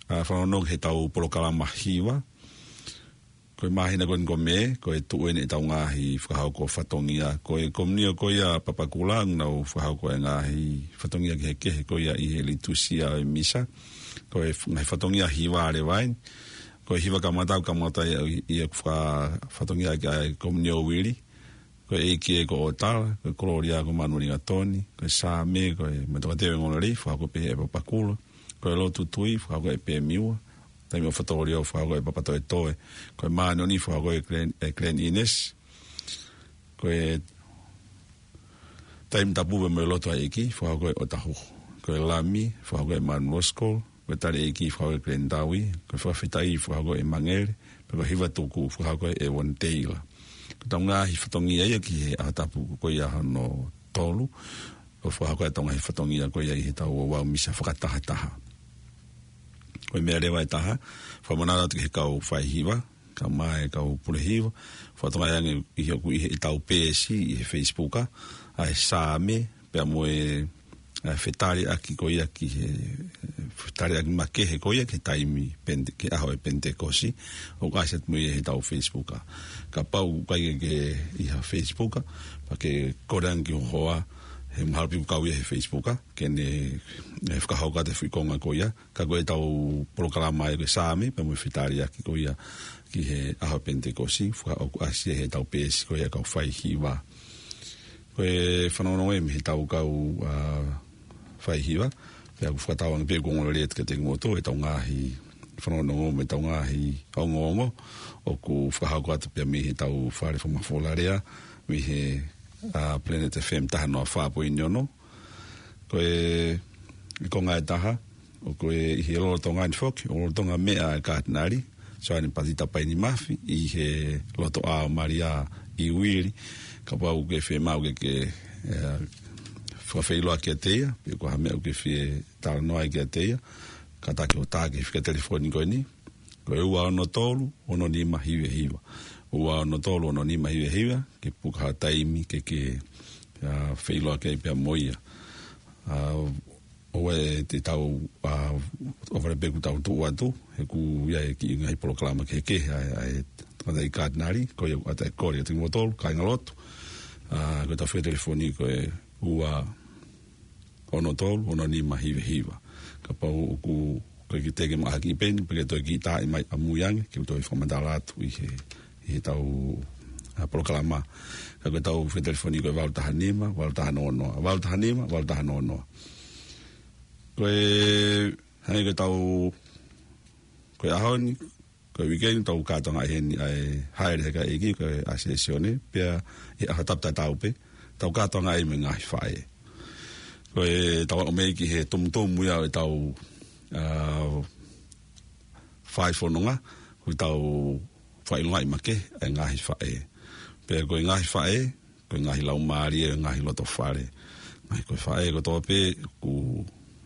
ā, fanongonongo ki heʻetau polokalama hiva, ko e māhina ko eni ko Mē, ko e tuʻu eni ʻetau ngaahi fakahoko fatongia. Ko e komiunitī ko ia Papakura, ʻoku nau fakahoko e ngaahi fatongia kehekehe ko ia ʻi he litūsia ʻo e misa. Ko e f-, ngaahi fatongia hiva leva eni. Ko e hiva kamata, kamata ia, ia ʻoku faka-, fatongia ki ai e komiunitī ʻo Uili. Ko e ʻEiki ē ko ʻOtala, ko e Kolōlia ko Manueli Gatoni, ko e Saame, ko e Matoka Teu e Ngolelei, fakahoko pē ʻe Papakura. Ko e Lotu Tui, fakahoko ʻe Pemiua. Taimi ʻo Fatongia, fakahoko ʻe Papatoetoe. Ko e Māʻoniʻoni, fakahoko ʻe Glen, ʻe Glen Innes. Ko e Taimi Tapu pea mo e Lotu ʻa e ʻEiki, fakahoko ʻe ʻOtahuhu. Ko e Lami, fakahoko ʻe Manu Loskol. Ko e Tali ʻEiki, fakahoko ʻe Glen Taui. Ko e Fakafetaʻi, fakahoko ʻe Mangele. Pea ko e Hiva Tuku, fakahoko ʻe Won Teila. Ko ʻetau ngaahi fatongia ia ki he ʻaho tapu ko ia hono tolu, ʻo fakahoko ʻetau ngaahi fatongia ko ia ʻi heʻetau ouau misa fakatahataha. Ko e meʻa leva ʻe taha, fakamanatu atu ki he kau faihiva, kae ʻumaʻā e kau pule hiva, fakatokangaʻi ange ʻi he, ʻoku ʻi heʻetau peesi ʻi he Facebook, ʻa e Saame, pea mo e, ʻa e fetaliʻaki ko ia ki he, fetaliʻaki makehe ko ia ki he taimi Pente-, ki he ʻaho ʻo e Penitekosi, ʻoku ʻasi atu mo ia heʻetau Facebook. Kapau ʻoku ʻikai ke ke ʻi ha Facebook, pea ke kole ange ki ho hoa, he mahalo pē ʻoku kau ia he Facebook, ā, ke ne, ē, fakahoko atu e foʻi konga ko ia. Ka ko ʻetau polokalama ē ko e Saame, pea mo e Fetaliaki ko ia ki he ʻaho Penitekosi, faka-, ʻoku ʻasi ia heʻetau peesi ko ia kau faihiva. Ko e fanongonongo ia mei heʻetau kau, ā, faihiva, pea ʻoku fakatauange pē ʻoku ongoongolelei atu kiate kimoutolu ʻetau ngaahi fanongonongo mo ʻetau ngaahi ongoongo, ʻoku fakahoko atu pē mei heʻetau fale fakamafola lea, mei he, ā, Planet F M taha noa fā poini ono. Ko e, e konga ʻe taha, ʻoku ʻi he lolotonga ni foki, ʻo lolotonga meʻa ʻa e Katinali Soane Patita Paini Mafi ʻi he lotoʻā ʻo Malia ʻi Uili, kapau ʻoku ke fiemaʻu ke, ke, ē, fakafeʻiloaki kiate ia, pe ko ha meʻa ʻoku ke fie talanoa ai kiate ia, kātaki ʻo tā ki he fika telefoni ko eni, ko e ua ono tolu, ono nima hiva hiva. Ua ono tolu, ono nima hiva hiva, ke puka ha taimi ke, ke, ā, feʻiloaki ai pea mo ia. Ā, ʻoua te tau, ā, ʻohovale pē kuo tau tuʻu atu, he ʻoku ʻi ai e kiʻi ngaahi polokalama kehekehe ʻa e, ʻa e tangataʻeiki Katinali, ko ia ʻoku ʻatā e kole kiate kimoutolu, kāingalotu. Ā, ko ʻetau fika telefoni ko e ua ono tolu, ono nima hiva hiva. Kapau ʻoku ʻikai ke te ke maʻu ha kiʻi peni, pea ke toe kiʻi tā mai ʻamui ange, ke u toe fakamatala atu ʻi he, ʻi heʻetau, ā, polokalama. Ka ko ʻetau fika telefoni ko e valu taha nima, valu taha noa noa, valu taha nima, valu taha noa noa. Ko e, hangē ko ʻetau, ko e ʻaho ni, ko e uike ni, tau kātoangaʻi heni ʻa e haʻele he kakai ʻeiki, ko e ʻasi ʻa Sione, pea ʻi he ʻaho Tapu tatau pē, tau kātoangaʻi mo e ngaahi faʻē. Ko ʻetau aʻu mei ai ki he tumutumu ia ʻo ʻetau, ā, fai fononga, ko ʻetau fakaʻilongaʻi makehe ʻa e ngaahi faʻē. Pea ko e ngaahi faʻē, ko e ngaahi laumālie ʻo e ngaahi loto fale. Ngaahi ko e faʻē kotoa pē, ʻoku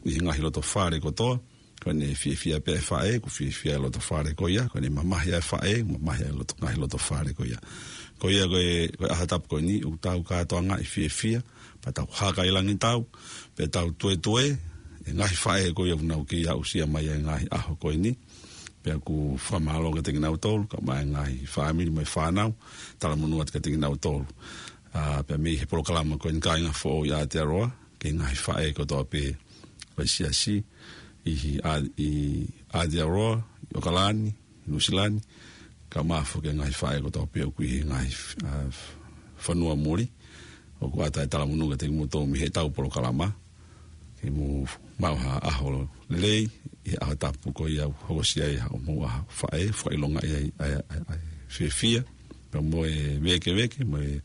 ʻi he ngaahi loto fale kotoa, ko ʻene fiefia pē ʻa e faʻē, ʻoku fiefia e loto fale ko ia, ko ʻene mamahi ʻa e faʻē, mamahi ʻa e loto, ngaahi loto fale ko ia. Ko ia ko e, ko e ʻaho Tapu ko eni, ʻoku tau kātoangaʻi fiefia, pea tau hakailangitau, pea tau tuetue, e ngaahi faʻē ko ia ʻoku nau kei aʻusia mai ʻa e ngaahi ʻaho ko eni, pea ʻoku fakamālō kiate kinautolu, kae ʻumaʻā e ngaahi fāmili mo e fānau, talamonū atu kiate kinautolu. Ā, pea mei he polokalama ko eni kāinga foʻou ʻi Aotearoa, ki he ngaahi faʻē kotoa pē ʻo e siasi, ʻi he ʻa-, ʻi Aotearoa, ʻi ʻOkalani, ʻi Nuʻusila ni, kae ʻumaʻā foki e ngaahi faʻē kotoa pē ʻoku ʻi he ngaahi, ā, fonua muli, ʻoku ʻatā e talamonū kiate kimoutolu mei heʻetau polokalama, ke mou maʻu ha ʻaho lelei, ʻi he ʻaho Tapu ko ia ʻoku hokosia ai haʻamou ʻaho faʻē, fakaʻilongaʻi ai, ʻa e, ʻa e, ʻa e fiefia, pea mo e vēkeveke, mo e,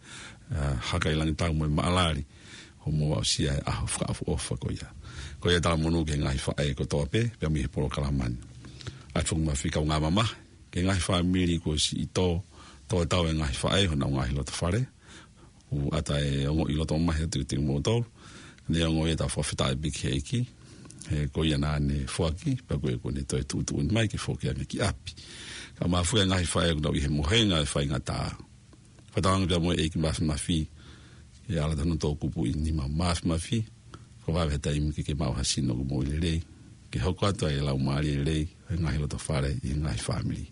ā, hakailangitau, mo e maʻalali, hoʻomou aʻusia e ʻaho fakaʻofoʻofa ko ia. Ko ia talamonū ki he ngaahi faʻē kotoa pē, pea mei he polokalama ni. ʻAi foki mafi kaungā mamahi, ki he ngaahi fāmili kuo ʻosi ʻi tō, tō tau e ngaahi faʻē, honau ngaahi loto fale, ʻoku ʻatā e ongoʻi loto mamahi atu kiate kimoutolu, neongo ia ʻetau fakafetaʻi pē ki he ʻEiki, he ko ia naʻa ne foaki, pea ko ia kuo ne toe tuʻutuʻuni mai ke foki ange ki ʻapi. Kae ʻumaʻā foki e ngaahi faʻē ʻoku nau ʻi he mohenga ʻo e faingataʻa. Fakatauange pea mo e ʻEiki Mafimafi, ʻe ala tonu tō kupu ʻi nima Mafimafi, ko e vave he taimi ke ke maʻu ha sino ʻoku moʻui lelei, ke hoko atu ai e laumālie lelei, he ngaahi loto fale ʻi he ngaahi fāmili.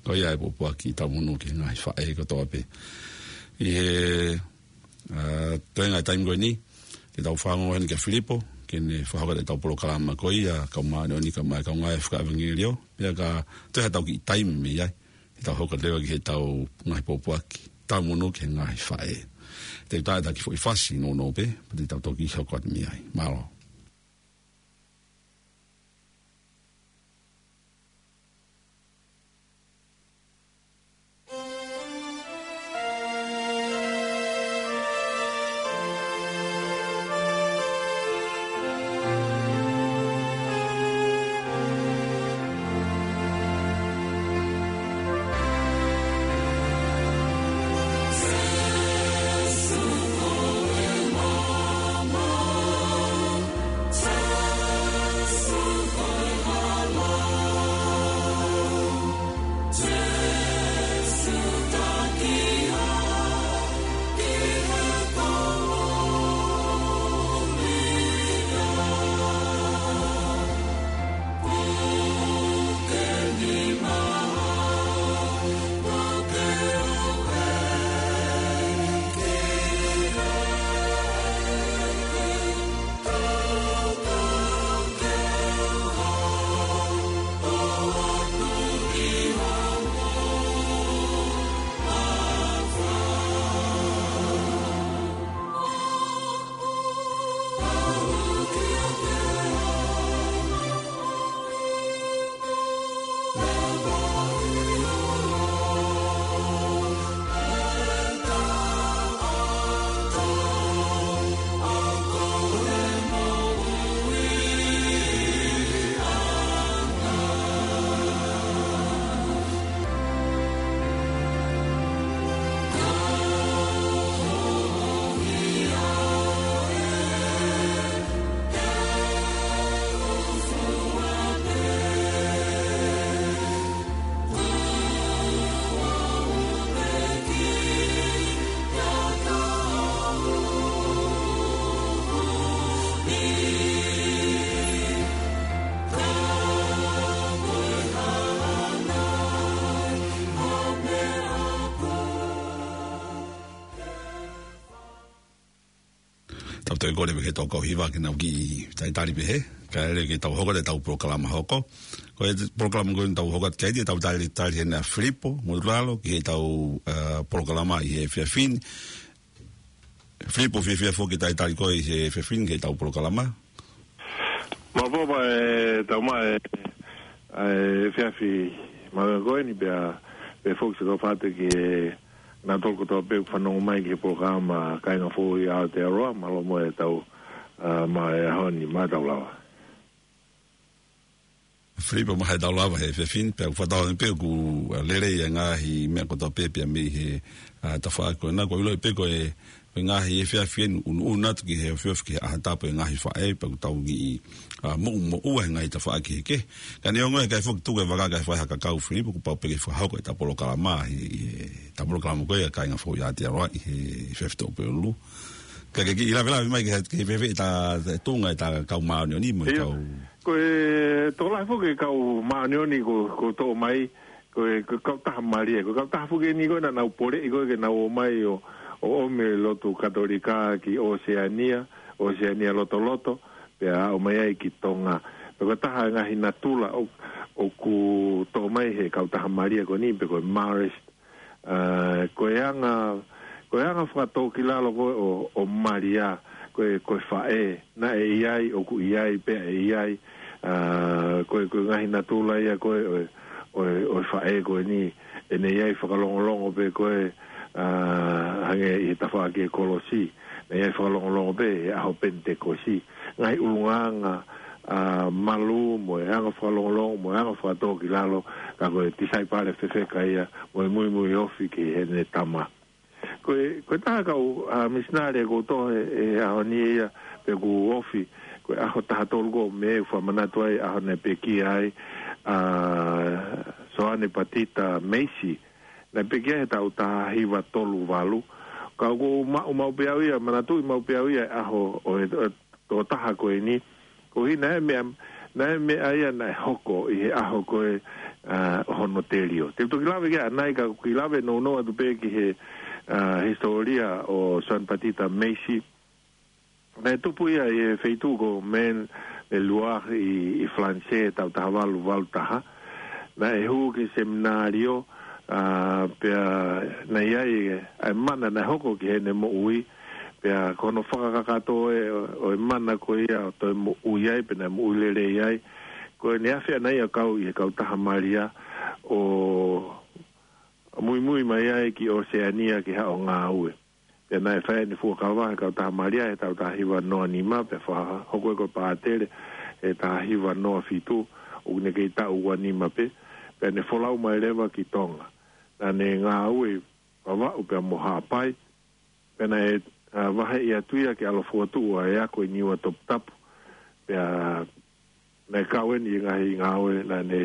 Ko ia e pōpoaki talamonū ki he ngaahi faʻē kotoa pē. ʻI he, ā, toenga e taimi ko eni, te tau fakaongo heni kia Filipo, ke ne fakahoko atu ʻetau polokalama ko ia, kae ʻumaʻā ʻene ʻofa, kae ʻumaʻā e kaungā fakaʻevangeliō, pea ka toe haʻatau kiʻi taimi mei ai, te tau hoko atu leva ki heʻetau ngaahi pōpoaki talamonū ki he ngaahi faʻē. Te u tā atu ha kiʻi foʻi fasi nounou pē, pea te tau toki hoko atu mei ai. Mālō. Tau toe kole pē ke tau kau hiva ke nau kiʻi talitali pē he. Kae ʻoua ke tau hoko atu ʻetau polokalama hoko. Ko e polokalama ko eni tau hoko atu ki ai, te tau talitali heni ʻa Filipo Mutulalo ki heʻetau, ā, polokalama ʻi he efiafi ni. Filipo, fiefia foki ke talitali koe ʻi he efiafi ni ki heʻetau polokalama. Mālō Papa, ʻe tau maʻu e, e efiafi mālie ko eni pea, pea foki siʻi kau fānau ki he, naʻa tau kotoa pē fanongo mai ki he polokalama Kāinga Foʻou ʻi Aotearoa, mālō mo e tau, ā, maʻu e ʻaho ni, mālō e tau lava. Filipo, mālō e tau lava he efiafi ni, pea ʻoku fakatauange pē ʻoku, ā, lelei e ngaahi meʻa kotoa pē pea mei he, ā, tafaʻaki ko ena, ʻoku ou ʻiloʻi pē ko e, ko e ngaahi efiafi eni ʻunuʻunu atu ki he ofiofi ki he ʻaho tapu e ngaahi faʻē, pea ʻoku tau kiʻi, ā, moʻumoʻua he ngaahi tafaʻaki kehekehe. Ka neongo ia, kae foki tuku e vaka kae fai ha kakau, Filipo, kuo pau pē ke fakahoko ʻetau polokalama, ʻi, ʻi heʻetau polokalama ko ia Kāinga Foʻou ʻi Aotearoa ʻi he efiafi Tōʻopeʻulu. Ka ke kiʻi lavelave mai ki he, ki he fēfē ʻeta, ʻeta tuʻunga ʻeta kau māʻoniʻoni mo e ʻIo. kau Ko e tokolahi foki e kau māʻoniʻoni kuo, kuo toʻo mai, ko e, ko e kautaha mālie, ko e kautaha foki eni ko ē naʻa nau poleʻi ko ē ke nau ō mai ʻo, ʻo ʻomi e lotu Katolika ki ʻOseania, ʻOseania lotoloto, pea aʻu mai ai ki Tonga. Pea ko e taha e ngaahi natula ʻo, ʻoku toʻo mai he kautaha mālie ko eni, pe ko e Marist, ā, ko e anga, ko e anga fakatōkilalo ko ē ʻo, ʻo Malia, ko e, ko e faʻē, naʻe ʻi ai, ʻoku ʻi ai, pea ʻe ʻi ai, ā, ko e, ko e ngaahi natula ia ko ē ʻo e, ʻo e, ʻo e faʻē ko eni, ʻene ʻi ai fakalongolongo pē ko ē, ā, hangē ʻi he tafaʻaki e kolosi, naʻe ʻi ai fakalongolongo pē he ʻaho Penitekosi. Ngaahi ʻulungaanga, ā, malū mo e anga fakalongolongo mo e anga fakatōkilalo, ka ko e tisaipale fefeka ia, mo e muimui ofi ki heʻene tama. Ko e, ko e taha kau, ā, misinale kuo toʻo he, he ʻaho ni ia, pea ʻoku ofi, ko e ʻaho taha tolu ko ē ʻo Mē, ʻoku fakamanatu ai ʻaho naʻe pekia ai, ā, Soane Patita Meisi, naʻe pekia he taʻu taha hiva tolu valu. Ka ʻoku ou maʻu maʻu pē au ia, manatuʻi maʻu pē au ia e ʻaho ʻo e, ʻo e tokotaha ko eni. Koeʻuhi naʻe meʻa, naʻe meʻa ia naʻe hoko ʻi he ʻaho ko ē, ā, hono telio. Te u toki lave ki ai ʻanai ka ʻoku ou kiʻi lave nounou atu pē ki he, ā, hisitōlia ʻo Soane Patita Meisi. Naʻe tupu ia ʻi he feituʻu ko Maine-et-Loire ʻi, ʻi Falanisē, taʻu taha valu valu taha. Naʻe hū ki he seminalio, ā, pea naʻe ʻi ai e, ʻa e mana naʻe hoko ki heʻene moʻui, pea ko hono fakakakato ē ʻo, ʻo e mana ko ia ʻo toe moʻui ai, pea naʻe moʻui lelei ai. Ko ʻene afe ʻana ia ʻo kau ʻi he kautaha Malia ʻo muimui mai ai ki ʻOseania ke haʻu ʻo ngāue. Pea naʻe fai ʻene fuakava he kautaha Malia he taʻu taha hiva noa nima, pea fakahoko ia ko e pātele he taha hiva noa fitu, ʻoku ne kei taʻu ua nima pē, pea ne folau mai leva ki Tonga. Naʻa ne ngāue ʻi Vavaʻu pea mo Haʻapai, pea naʻe, ā, vaheʻi atu ia ke ʻalu ʻo fokotuʻu ʻa e ako ʻi Niua Toputapu, pea naʻe kau eni ʻi he ngaahi ngāue naʻa ne,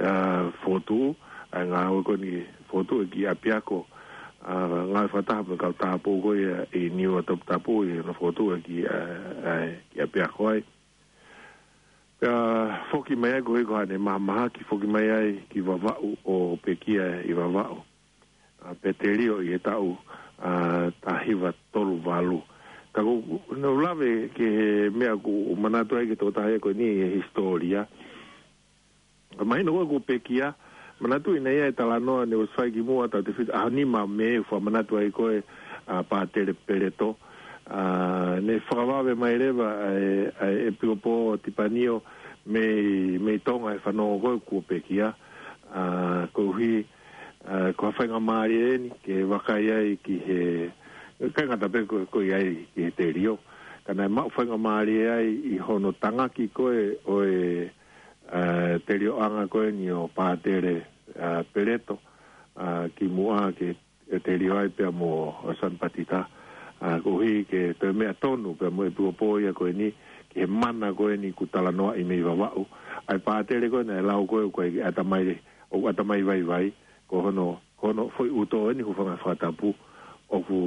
ā, fokotuʻu, ʻa e ngāue ko eni fokotuʻu e kiʻi ʻapiako, ā, ngāue fakataha mo e kau tāupoʻou ko ia ʻi Niua Toputapu ʻi hono fokotuʻu e kiʻi, ā, ʻa e kiʻi ʻapiako ai. Pea foki mai ai koeʻuhi ko haʻane mahamahaki, foki mai ai ki Vavaʻu ʻo pekia ʻi Vavaʻu. Ā, pea telio ʻi he taʻu, ā, taha hiva tolu valu. Ka ʻoku ou lave ki he meʻa ʻoku ou manatu ai ki he tokotaha ia ko eni he hisitōlia. Ka mahino ko ē kuo pekia, manatuʻi naʻe ʻi ai e talanoa naʻe ʻosi fai kimuʻa taʻu tefitu, ʻaho nima Mē ʻoku fakamanatu ai ko ē, ā, Pātele Peleto. Ā, ne fakavave mai leva ʻa e, ʻa e ʻEpikopō Tipanio mei, mei Tonga he fanongo ko ē kuo pekia. Ā, koeʻuhi, ā, ko ha faingamālie eni ke vakai ai ki he, ʻikai ngata pē ko, ko e ʻi ai ki he telio. Ka naʻe maʻu faingamālie ai ʻi hono tangaki ko ē ʻo e, ā, telioʻanga ko eni ʻo Pātele, ā, Peleto, ā, kimuʻa ke, ke telio ai pea mo Soane Patita. Ā, koeʻuhi ke toe meʻa tonu pea mo e ʻEpikopō ia ko eni ki he mana ko eni kuo talanoaʻi mei Vavaʻu. ʻA e pātele ko ē naʻe lau ko ē ʻoku ʻikai ke ʻatamai, ʻoku ʻatamai vaivai, ko hono, ko hono foʻi ʻuto eni hūfanga he fakatapu, ʻoku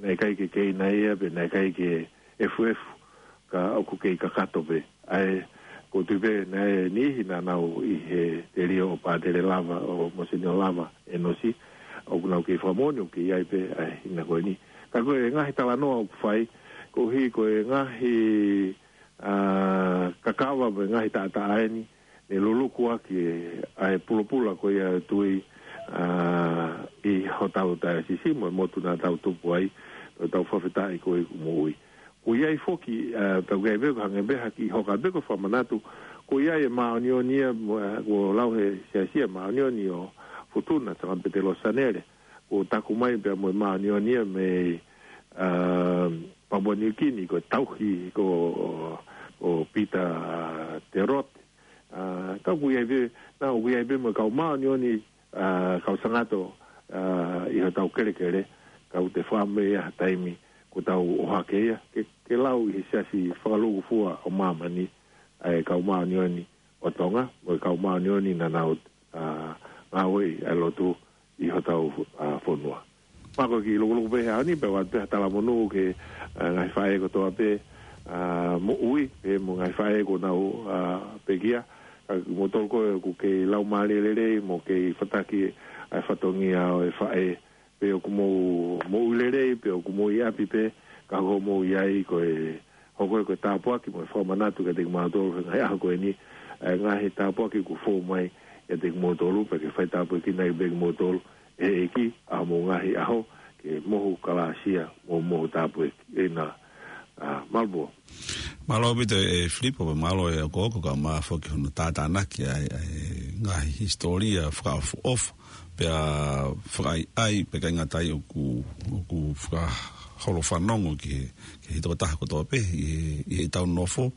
naʻe ʻikai ke keina ia, pe naʻe ʻikai ke efuefu, ka ʻoku kei kakato pē. ʻA e, ʻoku ou tui pē naʻe niʻihi naʻa nau ʻi he telio ʻo Pātele Lava, ʻo Monsignor Lava, Enosi, ʻoku nau kei fakamoʻoni ʻoku kei ʻi ai pē ʻa e hina ko eni. Ka ko e ngaahi talanoa ʻoku fai, koeʻuhi ko e ngaahi, ā, kakava mo e ngaahi taʻataʻa ʻeni, ne luluku ʻaki ʻa e pulapula ko ia ʻo e tui, ā, ʻi hotau taiosisi mo e motu naʻa tau tupu ai, ʻo tau fakafetaʻi ko e moʻui. Ko ia ai foki, ā, tau kai pē ko hangē pē ha kiʻi hoka pē ko e fakamanatu, ko ia e māʻoniʻoni ia, mo, ā, ko e lau he siasi ʻa e māʻoniʻoni ʻo Futuna, Sanga Petelo Sanele, ko e taku mai pea mo e māʻoniʻoni ia mei, ā, Papua Niu Kini, ko e tauhi, ko, ko Pita Terote. Ā, ka ʻoku ʻi ai pē, naʻa ʻoku ʻi ai pē mo e kau māʻoniʻoni, ā, kau sangato, ā, ʻi hotau kelekele, ka ʻoku te fakameʻa ha taimi, ko ʻetau ʻohake ia, ke, ke lau ʻi he siasi fakalūkufua ʻo māmani, ʻa e kau māʻoniʻoni ʻo Tonga, mo e kau māʻoniʻoni naʻa nau, ā, ngāueʻi ʻa e lotu ʻi hotau, ā, fonua. Pea ko e kiʻi lukuluku pē he ʻaho ni, pea ʻoatu pē ha talamonū ki he, ā, ngaahi faʻē kotoa pē, ā, moʻui, pea mo e ngaahi faʻē kuo nau, ā, pekia, ā, mo tolu ko ē ʻoku kei laumālie lelei, mo kei fataki ʻa e fatongia ʻo e faʻē, pe ʻoku mou, moʻui lelei, pe ʻoku mou ʻi ʻapi pē, ka ʻoku mou ʻi ai ko e, hoko ia ko e tāpuaki mo e fakamanatu kiate kimautolu he ngaahi ʻaho ko eni, ʻa e ngaahi tāpuaki kuo fou mai kiate kimautolu, pea ke fai tāpuekina ai pē kimoutolu ʻe he ʻEiki, ʻa hoʻomou ngaahi ʻaho, ke mohu kalāsia, mo mohu tāpuekina, ā, Malapua. Mālō ʻaupito ʻe Filipo, pea mālō e ʻokoʻoko kae ʻumaʻā foki hono tātānaki ʻa e, ʻa e ngaahi hisitōlia fakaʻofoʻofa, pea fakaʻaiʻai, pea ʻikai ngata ai ʻoku, ʻoku fakaholo fanongo ki he, ki he tokotaha kotoa pē ʻi he, ʻi heʻetau nofo.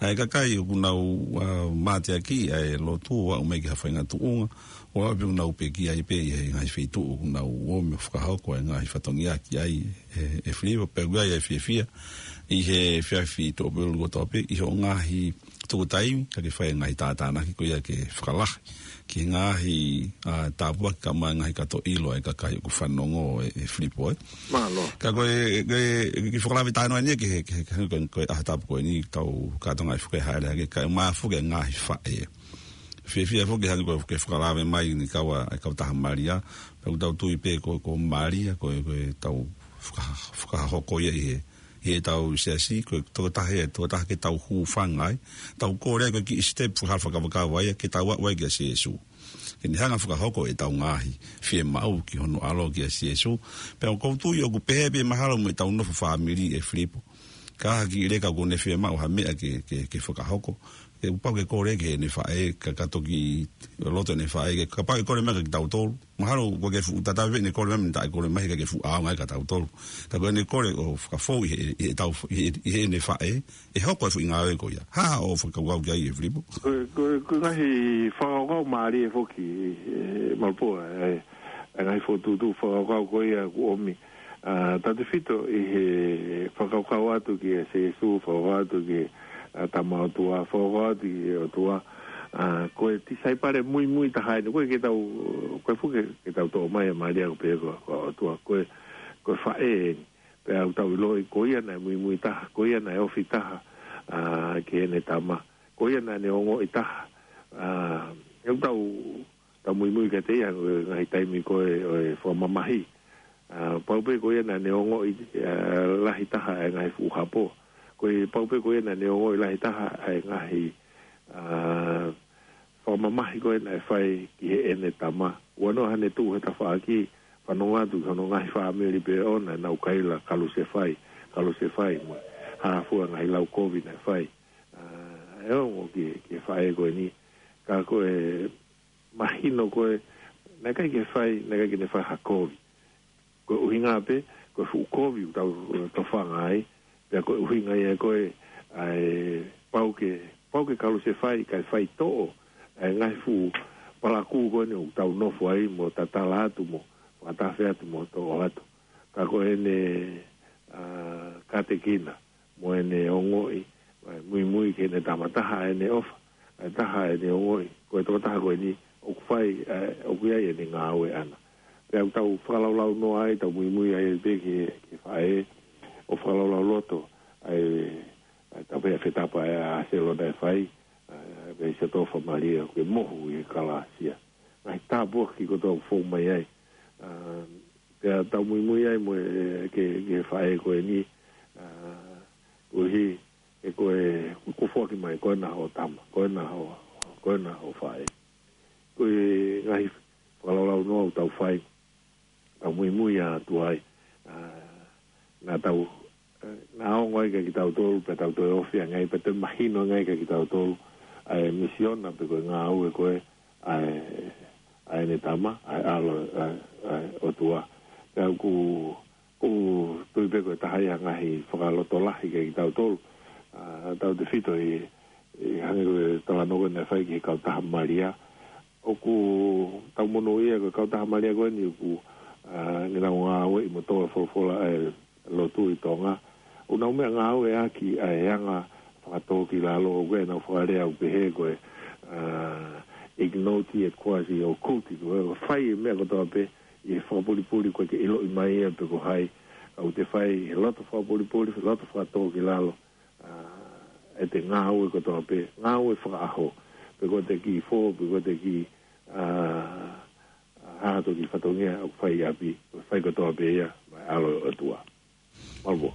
ʻA e kakai ʻoku nau, ā, mateaki ʻa e lotu ʻo aʻu mai ki ha faʻahinga tuʻunga, ʻo aʻu pē ʻoku nau pekia ai pē ʻi he ngaahi feituʻu ʻoku nau ō mai ʻo fakahoko ʻa e ngaahi fatongia ki ai ʻe, ʻe Filipo, pea ʻoku ʻi ai ʻa e fiefia ʻi he efiafi Tuʻapulelulu kotoa pē, ʻi hoʻo ngaahi tuku taimi, kae ke fai e ngaahi tātānaki ko ia ke fakalahi ki he ngaahi, ā, tāpuaki kae ʻumaʻā e ngaahi kato ʻilo ʻa e kakai ʻoku fanongo ʻe, ʻe Filipo, ē. Mālō. Ka ko e, ko e, ke fakalave taha noa eni ki he, ki he, ki he, ko e, ko e ʻaho tapu ko eni tau kātoanga ʻi fuke haere hake, kae ʻumaʻā foki e ngaahi faʻē. Fiefia foki hangē ko e, ke fakalave mai ni kau ʻa, ʻa e kautaha Malia, pea ʻoku tau tui pē ko, ko Malia, ko e, ko ʻetau faka-, fakahoko ia ʻi he, ʻi heʻetau siasi, ko e tokotaha ia, tokotaha ke tau hūfanga ai, tau kole ai ko e kiʻi step fakafakavakava ia, ke tau aʻu ai kia Sīsū. Ke ne hanga ʻo fakahoko ʻetau ngaahi fiemaʻu ki hono ʻAlo kia Sīsū. Pea ʻoku ou tui ʻoku pehē pē mahalo mo ʻetau nofo fāmili ʻe Filipo. Ka ha kiʻi leka kuo ne fiemaʻu ha meʻa ke, ke, ke fakahoko, ke pau ke kole ki heʻene faʻē, ka, ka toki loto ʻene faʻē, ke, kapau ʻe kole mai kia kitautolu. Mahalo ʻoku ʻikai ke fuʻu tatau pē ʻene kole mai, taʻe kole mai ke, ke fuʻu ʻaonga ai kia tautolu. Ka ko ʻene kole ʻo fakafou ʻi he, ʻi heʻetau, ʻi he, ʻi heʻene faʻē, ʻe hoko e foʻi ngāue ko ia. Hā hoʻo fakakaukau ki ai ʻe Filipo? Ko, ko, ko e ngaahi fakakaukau mālie foki, ē, Malapua, ē, e ngaahi fokotuʻutuʻu fakakaukau ko ia kuo ʻomi. Ā, tautefito ʻi he fakakaukau atu kia Sīsū, fakakaukau atu ki he, ā, Tama ʻOtua, fakakaukau atu ki he ʻOtua. Ā, ko e tisaipale muimui taha eni, ko e ke tau, ko e fuke ke tau toʻo mai ʻa Malia ko e pehē ko, ko e ʻOtua, ko e, ko e faʻē eni. Pea ʻoku tau ʻiloʻi, ko ia naʻe muimui taha, ko ia naʻe ofi taha, ā, ki heʻene Tama, ko ia naʻa ne ongoʻi taha. Ā, ʻoku tau, tau muimui kiate ia, ʻo e ngaahi taimi ko ē, ʻo e fakamamahi. Ā, pau pē ko ia naʻa ne ongoʻi, ā, lahi taha ʻa e ngaahi fuʻu hapo. Ko e pau pē ko ia naʻa ne ongoʻi lahi taha ʻa e ngaahi, ā, fakamamahi ko ē naʻe fai ki heʻene Tama. Ua noa haʻane tuʻu he tafaʻaki, fanongo atu ki hono ngaahi fāmili pē ʻoʻona naʻa nau kaila kalusefai, kalusefai mo e hā fua ngaahi lau kovi naʻe fai. Ā, ʻe ongo ki, ki he faʻē ko eni. Ka ko e mahino ko ē, naʻe ʻikai ke fai, naʻe ʻikai ke ne fai ha kovi. Ko e ʻuhinga pē, ko e fuʻu kovi ʻoku tau tofanga ai, pea ko e ʻuhinga ia ko ē, ʻa e pau ke, pau ke kalusefai, kae faitoʻo ʻa e ngaahi fuʻu palakū ko eni ʻoku tau nofo ai mo tatala atu mo fakatafe atu mo toʻo atu. Ka ko ʻene, ā, kātekina, mo ʻene ongoʻi, ē, muimui ki heʻene Tama, taha ʻene ʻofa, ē, taha ʻene ongoʻi, ko e tokotaha ko eni, ʻoku fai, ē, ʻoku ʻi ai ʻene ngāue ʻana. Pea ʻoku tau fakalaulaunoa ai, tau muimui ai pē ki he, ki he faʻē, ʻo fakalaulauloto, ē, ē, tau pehē fetapa ē ʻa Selo naʻe fai, ē, pea ʻisa tofa Malia, ke mohu ʻi he kalāsia. Ngaahi tāpuaki kotoa ʻoku fou mai ai. Ā, pea tau muimui ai mo e, ki he, ki he faʻē ko eni, ā, Koeʻuhi, ʻe ko e, ko e foaki mai, ko ena hoʻo tama, ko ena hoʻo, ko ena hoʻo faʻē. Ko e ngaahi fakalaulaunoa ʻoku tau fai, tau muimui atu ai, ʻa, naʻa tau, ʻe, naʻa ongo ai kia kitautolu, pea tau toe ofi ange ai, pea toe mahino ange ai kia kitautolu, ʻa e misiona pe ko e ngāue ko ē, ʻa e, ʻa ʻene tama, ʻa e ʻAlo, ʻa e, ʻa e ʻOtua. Pea ʻoku, ʻoku tui pē ko e taha ia e ngaahi fakalotolahi kia kitautolu, ʻa, tautefito ʻi, ʻi hangē ko e talanoa ko ē naʻe fai ki he kautaha Malia. ʻOku tau monūʻia ko e kautaha Malia ko eni ʻoku, ʻa, ne nau ngāueʻi mo tō e folofola ʻa e lotu ʻi Tonga. ʻOku nau meʻangāueʻaki ʻa e anga fakatōkilalo, ʻoku ʻi ai ʻenau fakalea ʻoku pehē ko e, ʻa, ignote et quasi occulti, ko e fai e meʻa kotoa pē ʻi he fakapulipuli ʻoku ʻikai ke ʻiloʻi mai ia pe ko hai, ka ʻoku te fai he loto fakapulipuli, loto fakatōkilalo, ʻa, ʻete ngāue kotoa pē, ngāue fakaʻaho, pe ko ʻete kiʻi fō, pe ko ʻete kiʻi, ʻa, ʻa, hā ha kiʻi fatongia ʻoku fai ʻi ʻapi, ʻoku fai kotoa pē ia maʻa e ʻAlo ʻo e ʻOtua. Mālō.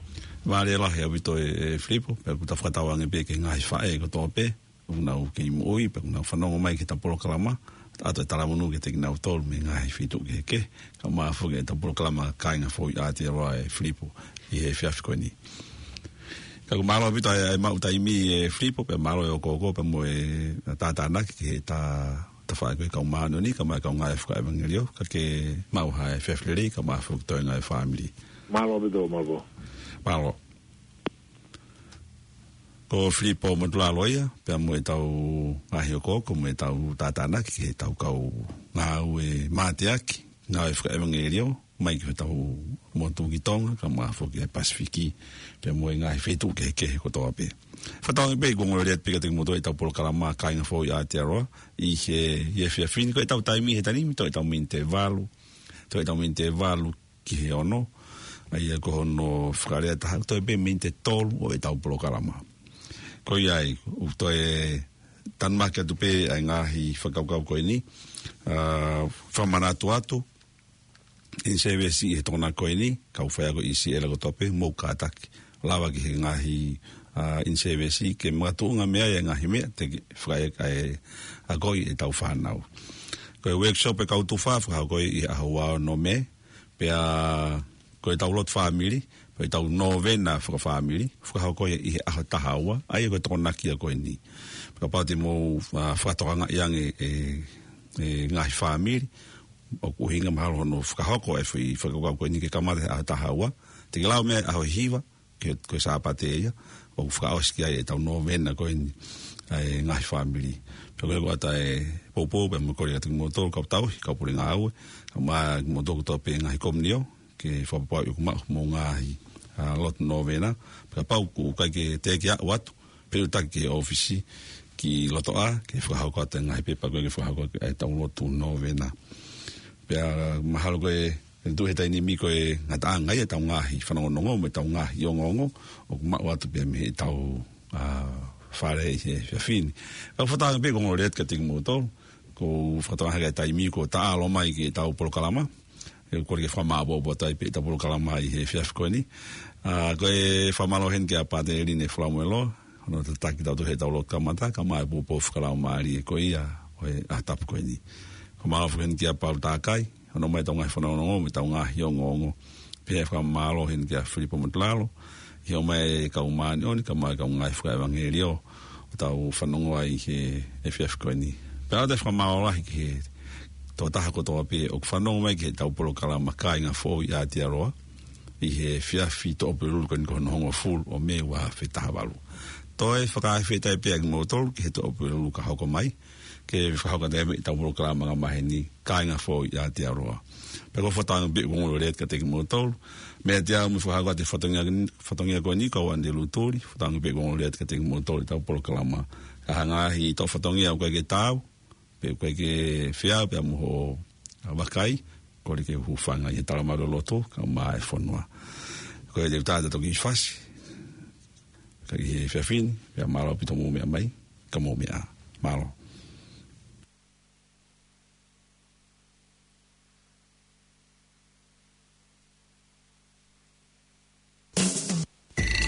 Mālō lahi ʻaupito e, e Filipo, pea ʻoku ta fakatauange pē ki he ngaahi faʻē kotoa pē ʻoku nau kei moʻui, pea ʻoku nau fanongo mai ki heʻetau polokalama, ʻoatu e talamonū kiate kinautolu mei he ngaahi feituʻu kehekehe, kaeʻumaʻā foki ʻetau polokalama Kāinga Foʻou ʻi Aotearoa, e Filipo, ʻi he efiafi ko eni. Ka ʻoku mālō ʻaupito ʻa e, ʻa e maʻu taimi, e Filipo, pea mālō e ʻokoʻoko, pea mo e tātānaki ki he ta, tafaʻaki ʻo e kau māʻoniʻoni, kaeʻumaʻā e kau ngāue fakaʻevangeliō, ka ke maʻu ha efiafi lelei, kaeʻumaʻā foki e toenga e fāmili. Mālō ʻaupito, mālō. Mālō. Ko Filipo Motulalo ia, pea mo ʻetau ngaahi ʻokoʻoko, mo ʻetau tātānaki ki heʻetau kau ngāue mateaki, ngāue fakaʻevangeliō, mai ki hotau motu ki Tonga, kaeʻumaʻā foki e Pasifiki, pea mo e ngaahi feituʻu kehekehe kotoa pē. Fakatauange pē ʻoku ongo lelei atu pē kiate kimoutolu ʻetau polokalama Kāinga Foʻou ʻi Aotearoa, ʻi he, ʻi he efiafi ni, ko ʻetau taimi he taimi, toe ʻetau miniti ʻe valu, toe ʻetau miniti ʻe valu ki he ono, ʻa ia ko hono fakalea ʻe taha, toe pē miniti ʻe tolu ʻo ʻetau polokalama. Ko ia ai, ʻoku toe tanumaki atu pē ʻa e ngaahi fakakaukau ko eni, ʻa, fakamanatu atu, in-service ʻi he Tokonaki ko eni, kau faiako ʻi Siʻela kotoa pē, mou kātaki. Lava ki he ngaahi, ʻa, in-service ke makatuʻunga mei ai e ngaahi meʻa, te ke fakaʻeaʻeakoʻi ʻetau fānau. Ko e workshop e kau tufa, fakahoko ʻi he ʻaho ua ʻo Nō-, Mē, pea ko ʻetau lotu fāmili, ko ʻetau nōvena fakafāmili, fakahoko ia ʻi he ʻaho taha ua, ʻa ia ko e Tokonaki ia ko eni. Pea kapau te mou, ʻa, fakatokangaʻi ange e, e ngaahi fāmili, ʻoku ʻuhinga mahalo hono fakahoko e foʻi fakakaukau ko eni ke kamata he ʻaho taha ua, te ke lau mei ai ʻaho hiva, ke, ko e Sāpate ia, ʻoku fakaʻosi ki ai ʻetau nōvena ko eni, ʻa e ngaahi fāmili. Pea ko e ʻoatu e poupou, pea mo e kole kiate kimoutolu, kau tauhi, kau pule ngāue, kaeʻumaʻā kimoutolu kotoa pē ngaahi komiunitī, ke fakapapauʻi ʻoku maʻu homou ngaahi, ʻa, lotu nōvena, pea kapau ʻoku ʻikai ke teʻeki aʻu atu, pea ʻoatu ki he ʻōfisi ki loto ʻā, ke fakahoko atu e ngaahi pepa ko ē ke fakahoko ʻetau lotu nōvena. Pea mahalo ko e, ʻe tuʻu he taimi ni ko e ngataʻanga ia ʻetau ngaahi fanongonongo mo ʻetau ngaahi ongoongo, ʻoku maʻu atu pē mei heʻetau, ʻa, fale ʻi he efiafi ni. Ka ʻoku fakatauange pē ʻoku ongo lelei atu kiate kimoutolu, ʻoku fakatauange hake e taimi kuo ta ʻalu mai ki heʻetau polokalama, ʻe kole ke fakamāʻopoʻopo atu ai pē ʻetau polokalama ʻi he efiafi ko eni. ʻA, ko e fakamālō heni kia Pātele Line Falamuelo, hono tataki kitautolu heʻetau lotu kamata, kaeʻumaʻā e poupou fakalaumālie ko ia ʻo e ʻaho tapu ko eni. Fakamālō foki heni kia Paula Takai, hono ʻomai ʻetau ngaahi fanongonongo, mo ʻetau ngaahi ongoongo. Pea fakamālō heni kia Filipo Motulalo, ʻi hoʻo ʻomai e kau māʻoniʻoni, kaeʻumaʻā e kau ngāue fakaʻevangeliō, ʻo tau fanongo ai he efiafi ko eni. Pea ʻoatu e fakamālō lahi ki he tokotaha kotoa pē ʻoku fanongo mai ki heʻetau polokalama Kāinga Foʻou ʻi Aotearoa, ʻi he efiafi Tuʻapulelulu ko eni ko hono hongofulu ʻo Mē ua afe taha valu. Toe fakafetaʻi pē ʻa kimoutolu ki he Tuʻapulelulu ka hoko mai, ke fakahoko atu ai pē ʻetau polokalama angamaheni, Kāinga Foʻou ʻi Aotearoa. Pea ʻoku ou fakatauange pē ʻoku ongo lelei atu kiate kimoutolu. Meiate au mo e fakahoko atu e fatongia, fatongia ko eni, ko au Andy Lutuli, fakatauange pē ʻoku ongo lelei atu kiate kimoutolu ʻetau polokalama. Ka ʻi ai ha ngaahi toʻo fatongia ʻoku ʻikai ke taau, pe ʻoku ʻikai ke fie, pea mo hoʻo, ʻa, vakai, kole ke u hūfanga ʻi he talamalu ʻo e lotu, kaeʻumaʻā e fonua. Ko ia te u tā atu ʻo toki fasi, ka ʻi he efiafi ni, pea mālō ʻaupito hoʻomou meʻa mai, ka mou meʻa ā. Mālō.